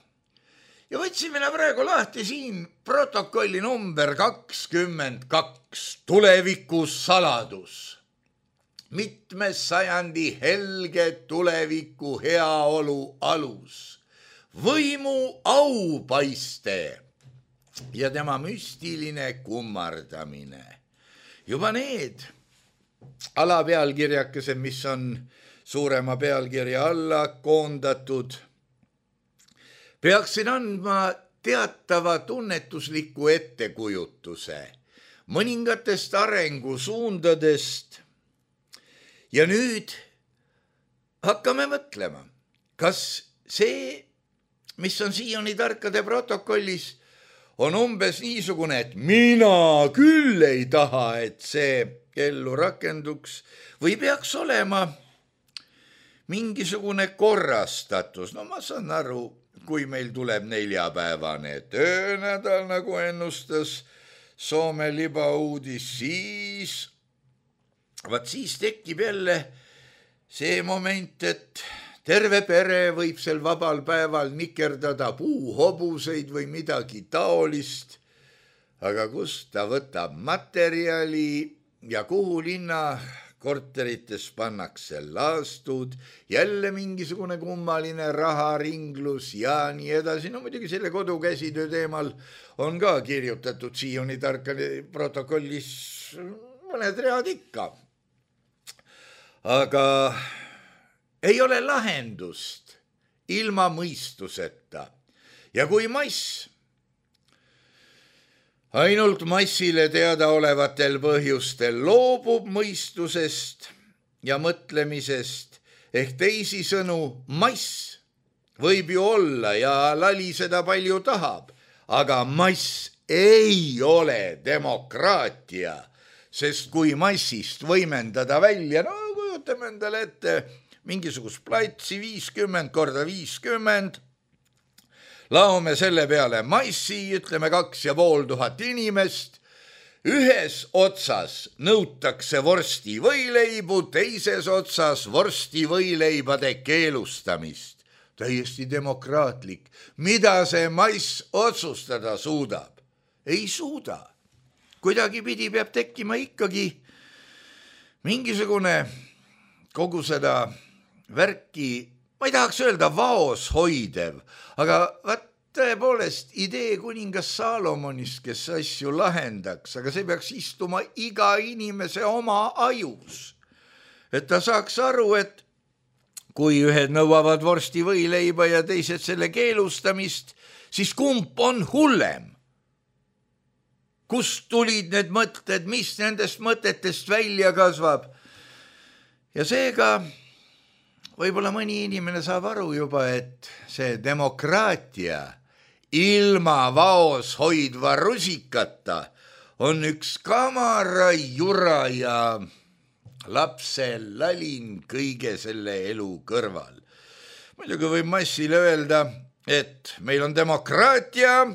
Ja võtsin mina praegu lahti siin protokolli number kakskümmend kaks, tuleviku saladus. Mitmes sajandi helge tuleviku heaolu alus, võimu aupaiste ja tema müstiline kummardamine. Juba need alapealkirjakesed, mis on suurema pealkirja alla koondatud, peaksin andma teatava tunnetusliku ettekujutuse mõningatest arengusuundadest. Ja nüüd hakkame mõtlema, kas see, mis on Sioni tarkade protokollis, on umbes niisugune, et mina küll ei taha, et see ellu rakenduks, või peaks olema mingisugune korrastatus. No ma saan aru, kui meil tuleb neljapäevane töönädal, nagu ennustas Soome libauudis, siis, vaat siis tekib jälle see moment, et terve pere võib sel vabal päeval nikerdada puuhobuseid või midagi taolist, aga kust ta võtab materjali ja kuhu linna korterites pannakse laastud, jälle mingisugune kummaline raharinglus ja nii edasi. No muidugi selle kodukäsitöö teemal on ka kirjutatud Sioni tarkade protokollis mõned read ikka. Aga ei ole lahendust ilma mõistuseta. Ja kui mass ainult massile teada olevatel põhjustel loobub mõistusest ja mõtlemisest, ehk teisisõnu mass võib ju olla ja laliseda palju tahab, aga mass ei ole demokraatia, sest kui massist võimendada välja, no kujutame endale ette mingisugust platsi viiskümmend korda viiskümmend, laome selle peale massi, ütleme kaks ja pool tuhat inimest, ühes otsas nõutakse vorsti võileibu, teises otsas vorsti võileibade keelustamist. Täiesti demokraatlik. Mida see mass otsustada suudab? Ei suuda. Kuidagi pidi peab tekkima ikkagi mingisugune kogu seda värki, ma ei tahaks öelda vaos hoidev, aga vaat tõepoolest idee kuningas Saalomonist, kes asju lahendaks, aga see peaks istuma iga inimese oma ajus. Et ta saaks aru, et kui ühed nõuavad vorsti võileiba ja teised selle keelustamist, siis kumb on hullem? Kust tulid need mõtted, mis nendest mõtetest välja kasvab? Ja seega võib-olla mõni inimene saab aru juba, et see demokraatia ilma vaos hoidva rusikata on üks kamara jura ja lapse lalin kõige selle elu kõrval. Muidugi võib massile öelda, et meil on demokraatia,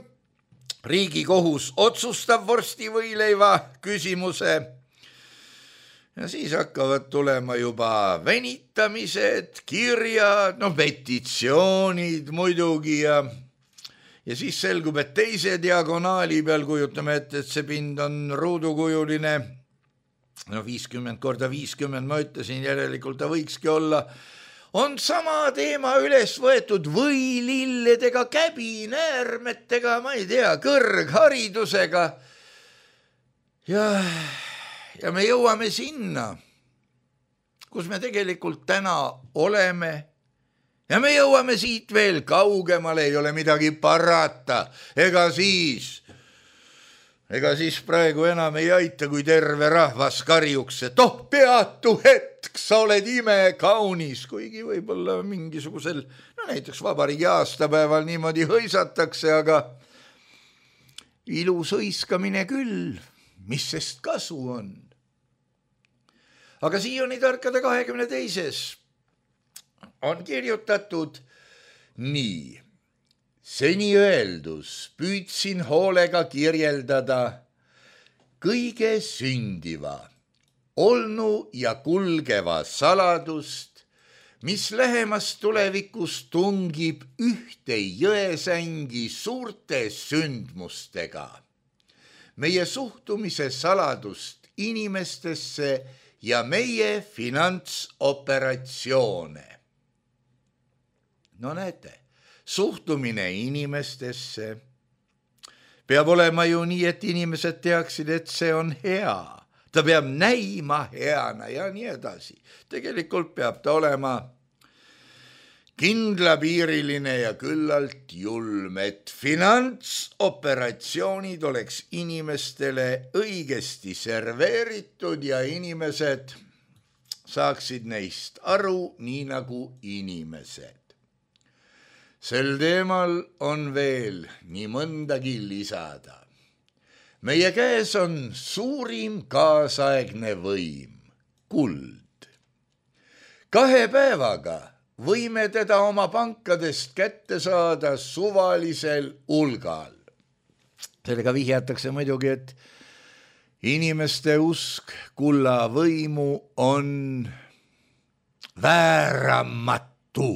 Riigikohus otsustab vorstivõileiva küsimuse ja siis hakkavad tulema juba venitamised, kirjad, no petitsioonid muidugi ja ja siis selgub, et teise diagonaali peal kujutame ette, et see pind on ruudukujuline, no viiskümmend korda viiskümmend, ma ütlesin, järelikult ta võikski olla, on sama teema üles võetud võililledega, käbinäärmetega, ma ei tea, kõrgharidusega ja, ja me jõuame sinna, kus me tegelikult täna oleme ja me jõuame siit veel kaugemale, ei ole midagi parata, ega siis, ega siis praegu enam ei aita, kui terve rahvas karjuks, et oh, peatu hetk, sa oled imekaunis, kuigi võib-olla mingisugusel, no näiteks vabariigi aastapäeval niimoodi hõisatakse, aga ilus hõiskamine küll, mis sest kasu on. Aga siiani tarkade kahekümne teises on kirjutatud nii. Seni öeldus püüdsin hoolega kirjeldada kõige sündiva, olnu ja kulgeva saladust, mis lähemas tulevikus tungib ühte jõesängi suurte sündmustega. Meie suhtumise saladust inimestesse ja meie finantsoperatsioone. No näete, suhtumine inimestesse peab olema ju nii, et inimesed teaksid, et see on hea. Ta peab näima heana ja nii edasi. Tegelikult peab ta olema kindlapiiriline ja küllalt julm, et finantsoperatsioonid oleks inimestele õigesti serveeritud ja inimesed saaksid neist aru nii nagu inimesed. Sel teemal on veel nii mõndagi lisada. Meie käes on suurim kaasaegne võim, kuld. Kahe päevaga võime teda oma pankadest kätte saada suvalisel hulgal. Sellega vihjatakse muidugi, et inimeste usk kulla võimu on vääramatu.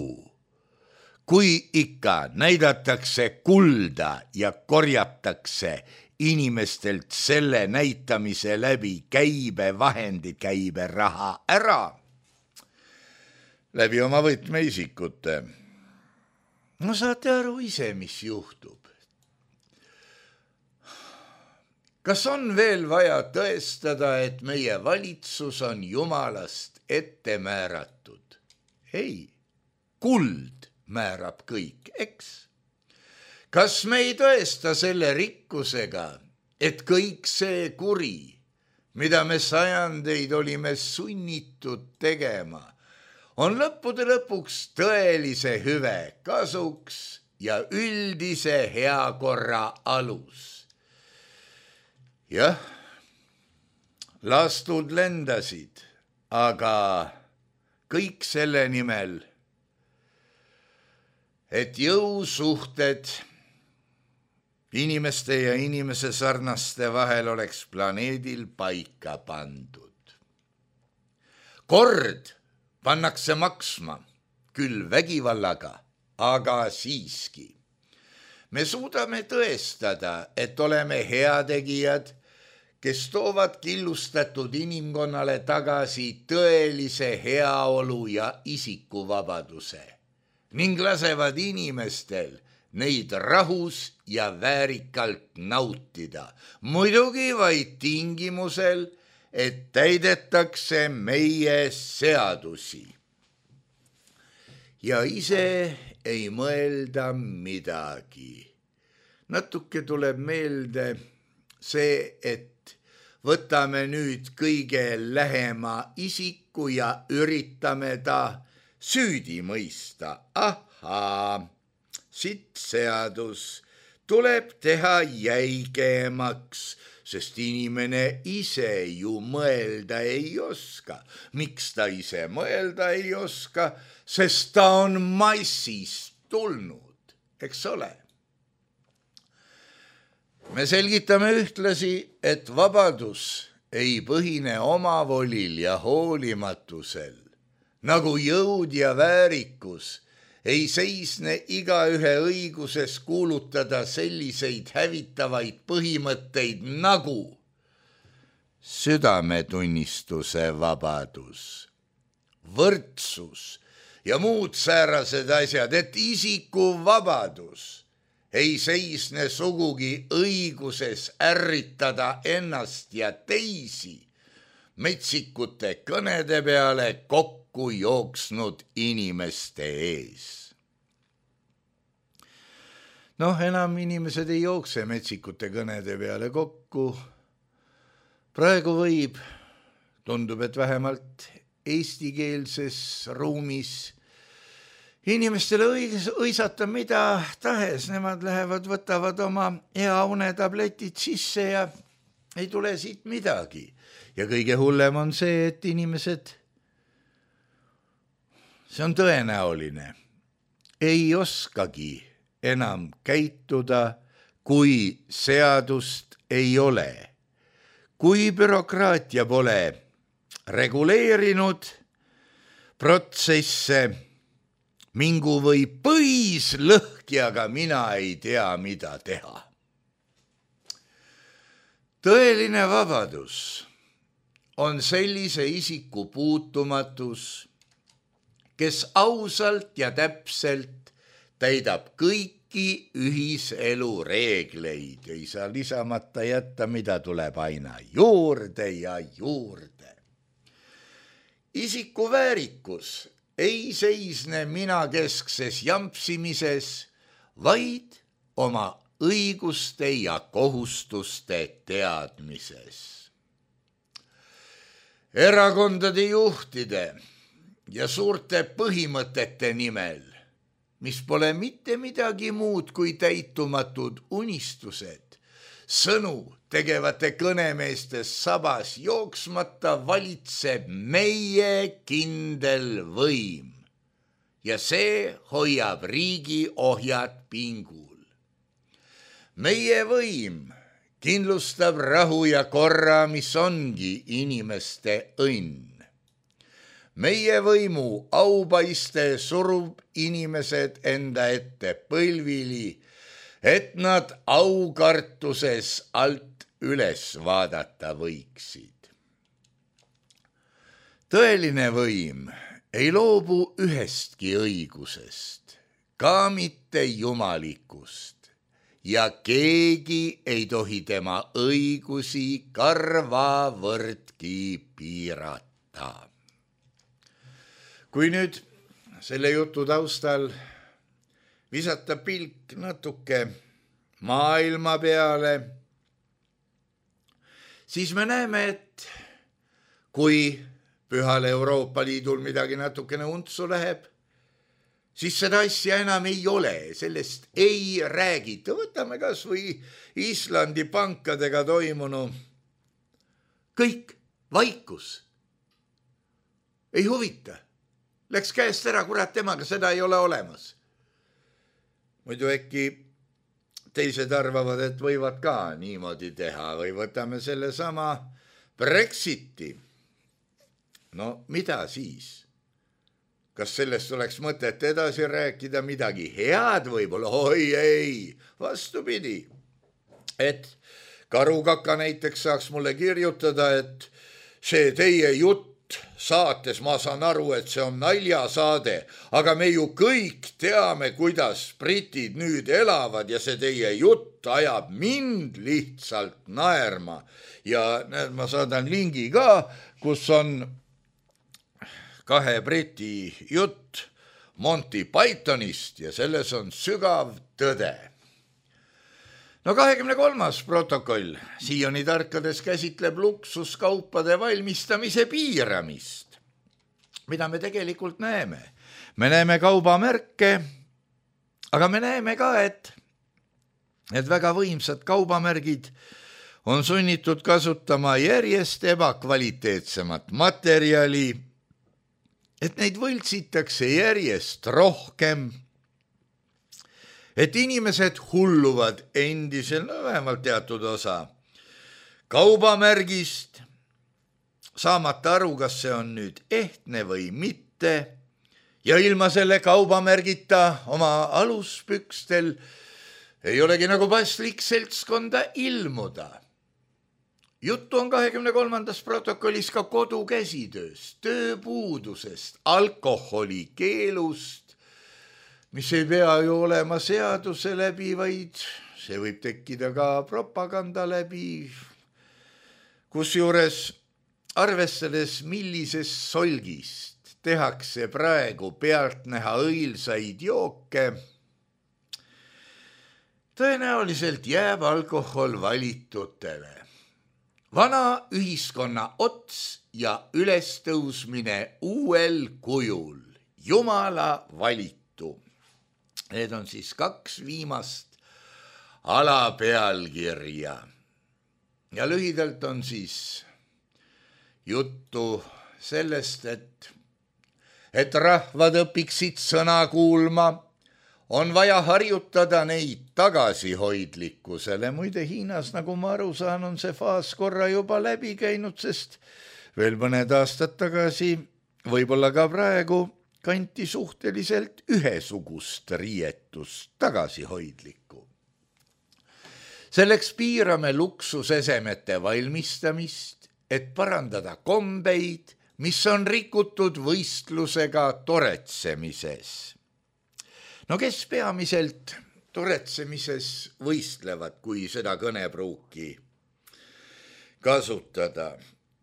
Kui ikka näidatakse kulda ja korjatakse inimestelt selle näitamise läbi käibevahendid, käiberaha ära, läbi oma võtmeisikute. No saate aru ise, mis juhtub. Kas on veel vaja tõestada, et meie valitsus on jumalast ette määratud? Ei, kuld määrab kõik, eks? Kas me ei tõesta selle rikkusega, et kõik see kuri, mida me sajandeid olime sunnitud tegema, on lõppude lõpuks tõelise hüve kasuks ja üldise heakorra alus? Jah, lastud lendasid, aga kõik selle nimel, et jõusuhted inimeste ja inimese sarnaste vahel oleks planeedil paika pandud. Kord pannakse maksma, küll vägivallaga, aga siiski. Me suudame tõestada, et oleme heategijad, kes toovad killustatud inimkonnale tagasi tõelise heaolu ja isikuvabaduse ning lasevad inimestel neid rahus ja väärikalt nautida, muidugi vaid tingimusel, et täidetakse meie seadusi. Ja ise ei mõelda midagi. Natuke tuleb meelde see, et võtame nüüd kõige lähema isiku ja üritame ta süüdi mõista. Ahaa, siit seadus tuleb teha jäigemaks, sest inimene ise ju mõelda ei oska. Miks ta ise mõelda ei oska? Sest ta on massist tulnud. eks ole. Me selgitame ühtlasi, et vabadus ei põhine omavolil ja hoolimatusel, nagu jõud ja väärikus ei seisne igaühe õiguses kuulutada selliseid hävitavaid põhimõtteid nagu südametunnistuse vabadus, võrdsus ja muud säärased asjad, et isiku vabadus ei seisne sugugi õiguses ärritada ennast ja teisi metsikute kõnede peale kokku jooksnud inimeste ees. Noh, enam inimesed ei jookse metsikute kõnede peale kokku. Praegu võib, tundub, et vähemalt eestikeelses ruumis inimestele õis, õisata mida tahes, nemad lähevad, võtavad oma hea unetabletid sisse ja ei tule siit midagi. Ja kõige hullem on see, et inimesed, see on tõenäoline, ei oskagi enam käituda, kui seadust ei ole. Kui bürokraatia pole reguleerinud protsesse, mingu või põis lõhki, aga mina ei tea, mida teha. Tõeline vabadus on sellise isiku puutumatus, kes ausalt ja täpselt täidab kõiki ühiselu reegleid, ei saa lisamata jätta, mida tuleb aina juurde ja juurde. Isiku väärikus ei seisne minakeskses jampsimises, vaid oma õiguste ja kohustuste teadmises. Erakondade juhtide ja suurte põhimõtete nimel, mis pole mitte midagi muud kui täitumatud unistused, sõnu tegevate kõnemeestes sabas jooksmata valitseb meie kindel võim ja see hoiab riigi ohjad pingul. Meie võim kindlustab rahu ja korra, mis ongi inimeste õnn. Meie võimu aupaiste surub inimesed enda ette põlvili, et nad aukartuses alt üles vaadata võiksid. Tõeline võim ei loobu ühestki õigusest, ka mitte jumalikust, ja keegi ei tohi tema õigusi karvavõrdki piirata. Kui nüüd selle jutu taustal visata pilk natuke maailma peale, siis me näeme, et kui Pühal Euroopa Liidul midagi natukene untsu läheb, siis seda asja enam ei ole, sellest ei räägita. Võtame kas või Islandi pankadega toimunu. Kõik vaikus. Ei huvita. Läks käest ära, kurat, temaga seda ei ole olemas. Muidu äkki teised arvavad, et võivad ka niimoodi teha või võtame selle sama Brexiti. No mida siis? Kas sellest oleks mõtet edasi rääkida midagi head võib-olla? Oi ei, vastupidi. Et Karukaka näiteks saaks mulle kirjutada, et see teie jutt saates, ma saan aru, et see on naljasaade, aga me ju kõik teame, kuidas britid nüüd elavad ja see teie jutt ajab mind lihtsalt naerma. Ja näed, ma saadan lingi ka, kus on kahe briti jutt Monty Pythonist ja selles on sügav tõde. No kahekümne kolmas protokoll Sioni tarkades käsitleb luksuskaupade valmistamise piiramist. Mida me tegelikult näeme? Me näeme kaubamärke, aga me näeme ka, et, et väga võimsad kaubamärgid on sunnitud kasutama järjest ebakvaliteetsemat materjali, et neid võltsitakse järjest rohkem et inimesed hulluvad endisel, no vähemalt teatud osa kaubamärgist, saamata aru, kas see on nüüd ehtne või mitte, ja ilma selle kaubamärgita oma aluspükstel ei olegi nagu paslik seltskonda ilmuda. Juttu on kahekümne kolmandas protokollis ka kodukäsitööst, tööpuudusest, alkoholi keelust, mis ei pea ju olema seaduse läbi, vaid see võib tekkida ka propaganda läbi, kusjuures arvestades, millises solgist tehakse praegu pealtnäha õilsaid jooke, tõenäoliselt jääb alkohol valitutele. Vana ühiskonna ots ja ülestõusmine uuel kujul, Jumala valitu. Need on siis kaks viimast alapealkirja. Ja lühidalt on siis juttu sellest, et, et rahvad õpiksid sõna kuulma, on vaja harjutada neid tagasihoidlikkusele. Muide Hiinas, nagu ma aru saan, on see faas korra juba läbi käinud, sest veel mõned aastad tagasi, võib-olla ka praegu, kanti suhteliselt ühesugust riietust tagasihoidlikku. Selleks piirame luksusesemete valmistamist, et parandada kombeid, mis on rikutud võistlusega toretsemises. No kes peamiselt toretsemises võistlevad, kui seda kõnepruuki kasutada?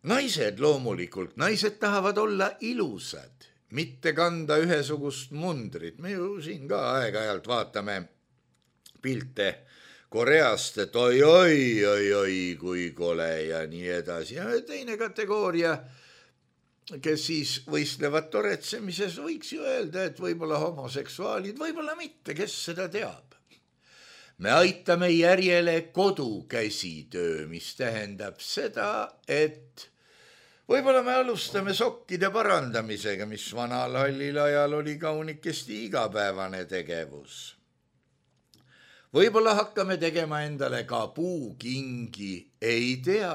Naised loomulikult, naised tahavad olla ilusad, mitte kanda ühesugust mundrit. Me ju siin ka aeg-ajalt vaatame pilte Koreast, et oi, oi, oi, oi, kui kole ja nii edasi. Ja teine kategooria, kes siis võistlevad toretsemises, võiks ju öelda, et võib-olla homoseksuaalid, võib-olla mitte, kes seda teab. Me aitame järjele kodukäsitöö, mis tähendab seda, et võib-olla me alustame sokkide parandamisega, mis vanal hallil ajal oli kaunikesti igapäevane tegevus. Võib-olla hakkame tegema endale ka puukingi, ei tea,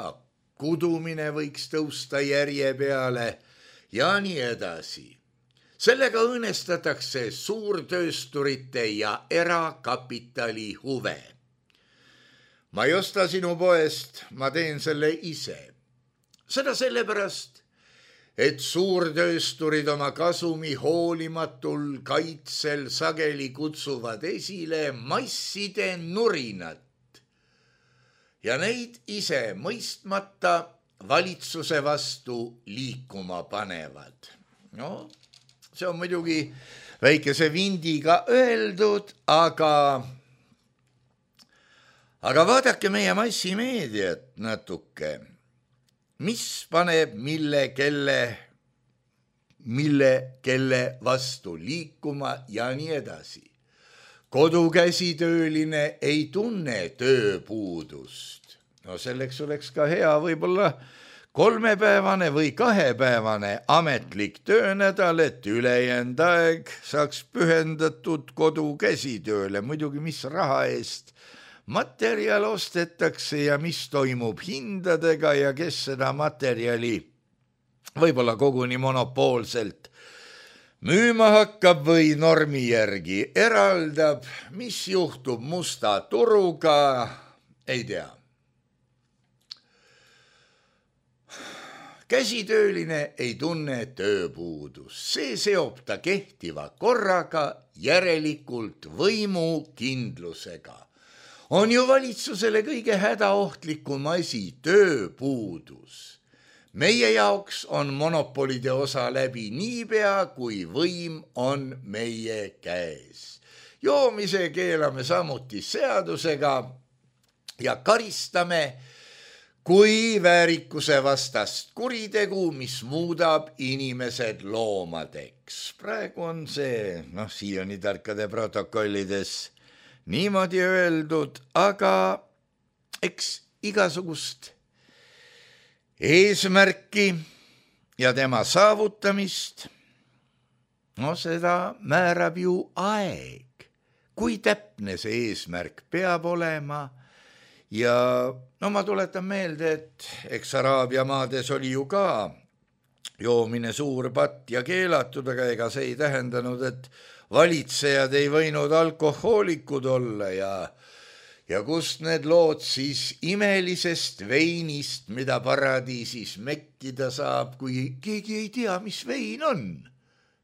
kudumine võiks tõusta järje peale ja nii edasi. Sellega õõnestatakse suurtöösturite ja erakapitali huve. Ma ei osta sinu poest, ma teen selle ise. Seda sellepärast, et suurtöösturid oma kasumi hoolimatul kaitsel sageli kutsuvad esile masside nurinat ja neid ise mõistmata valitsuse vastu liikuma panevad. No, see on muidugi väikese vindiga öeldud, aga, aga vaadake meie massimeediat natuke. Mis paneb mille, kelle, mille, kelle vastu liikuma ja nii edasi. Kodukäsitööline ei tunne tööpuudust. No selleks oleks ka hea võib-olla kolmepäevane või kahepäevane ametlik töönädal, et ülejäänud aeg saaks pühendatud kodukäsitööle. Muidugi mis raha eest materjal ostetakse ja mis toimub hindadega ja kes seda materjali võib-olla koguni monopoolselt müüma hakkab või normi järgi eraldab, mis juhtub musta turuga, ei tea. Käsitööline ei tunne tööpuudus, see seob ta kehtiva korraga, järelikult võimukindlusega. On ju valitsusele kõige hädaohtlikum asi tööpuudus. Meie jaoks on monopolide osa läbi niipea, kui võim on meie käes. Joomise keelame samuti seadusega ja karistame kui väärikuse vastast kuritegu, mis muudab inimesed loomadeks. Praegu on see, noh, siiani tarkade protokollides niimoodi öeldud, aga eks igasugust eesmärki ja tema saavutamist, no seda määrab ju aeg. kui täpne see eesmärk peab olema. Ja no ma tuletan meelde, et eks Araabia maades oli ju ka joomine suur patt ja keelatud, aga ega see ei tähendanud, et valitsejad ei võinud alkohoolikud olla ja, ja kust need lood siis imelisest veinist, mida paradiisis mekkida saab, kui keegi ei tea, mis vein on.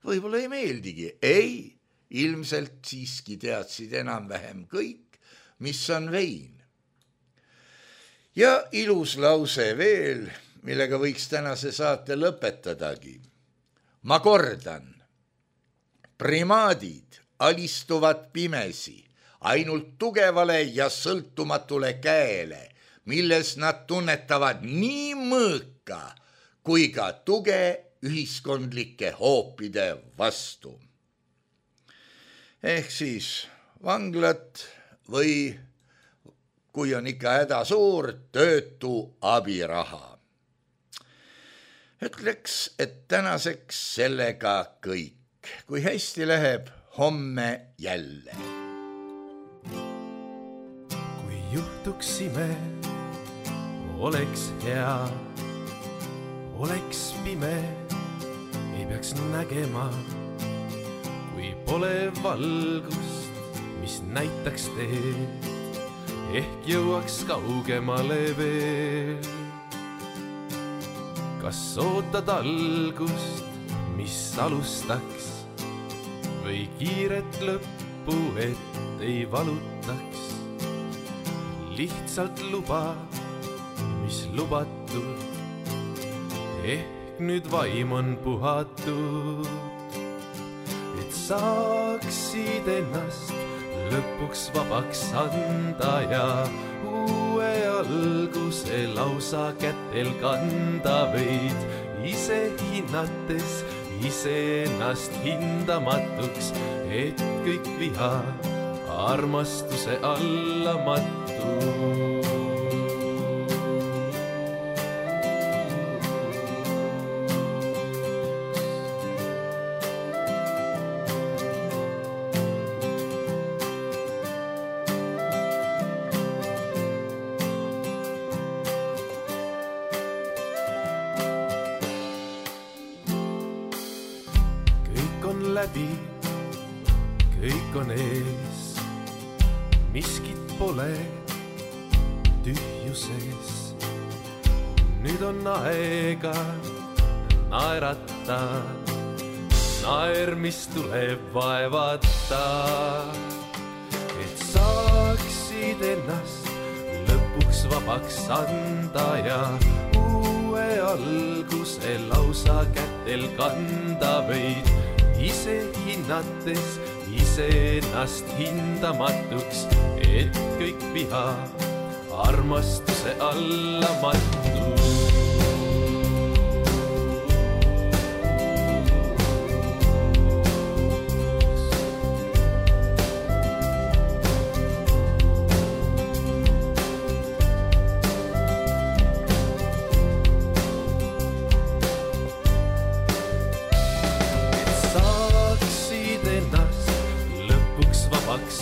Võib-olla ei meeldigi. Ei, ilmselt siiski teadsid enam-vähem kõik, mis on vein. Ja ilus lause veel, millega võiks tänase saate lõpetadagi. Ma kordan, primaadid alistuvad pimesi ainult tugevale ja sõltumatule käele, milles nad tunnetavad nii mõõka kui ka tuge ühiskondlike hoopide vastu. Ehk siis vanglat või kui on ikka häda suur, töötu abiraha. Ütleks, et tänaseks sellega kõik. Kui hästi läheb, homme jälle. Kui juhtuks ime, oleks hea, oleks pime, ei peaks nägema, kui pole valgust, mis näitaks teed. Ehk jõuaks kaugemale veel. Kas ootad algust, mis alustaks, või kiiret lõppu, et ei valutaks? Lihtsalt luba, mis lubatud, ehk nüüd vaim on puhatud, et saaksid ennast lõpuks vabaks anda ja uue alguse lausa kätel kanda võid, ise hinnates, ise ennast hindamatuks, et kõik viha armastuse alla mattu. Läbi, kõik on ees, miskit pole tühjuses. Nüüd on aega naerata, naer, mis tuleb vaevata, et saaksid ennast lõpuks vabaks anda ja uue alguse lausa kätel kanda võid, ise hinnates, ise ennast hindamatuks, et kõik viha armastuse alla mattu.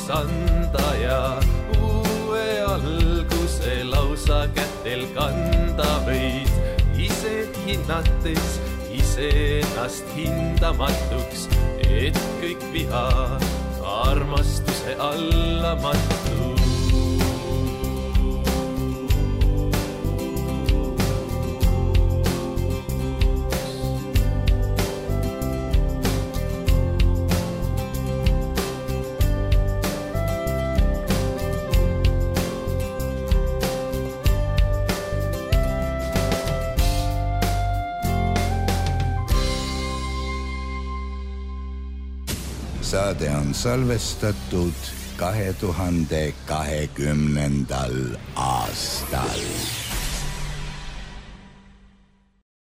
Anda ja uue alguse lausa kätel kanda võid, ise hinnates, ise ennast hindamatuks, et kõik viha armastuse alla mattu. Saade on salvestatud kahe tuhande kahekümnendal aastal.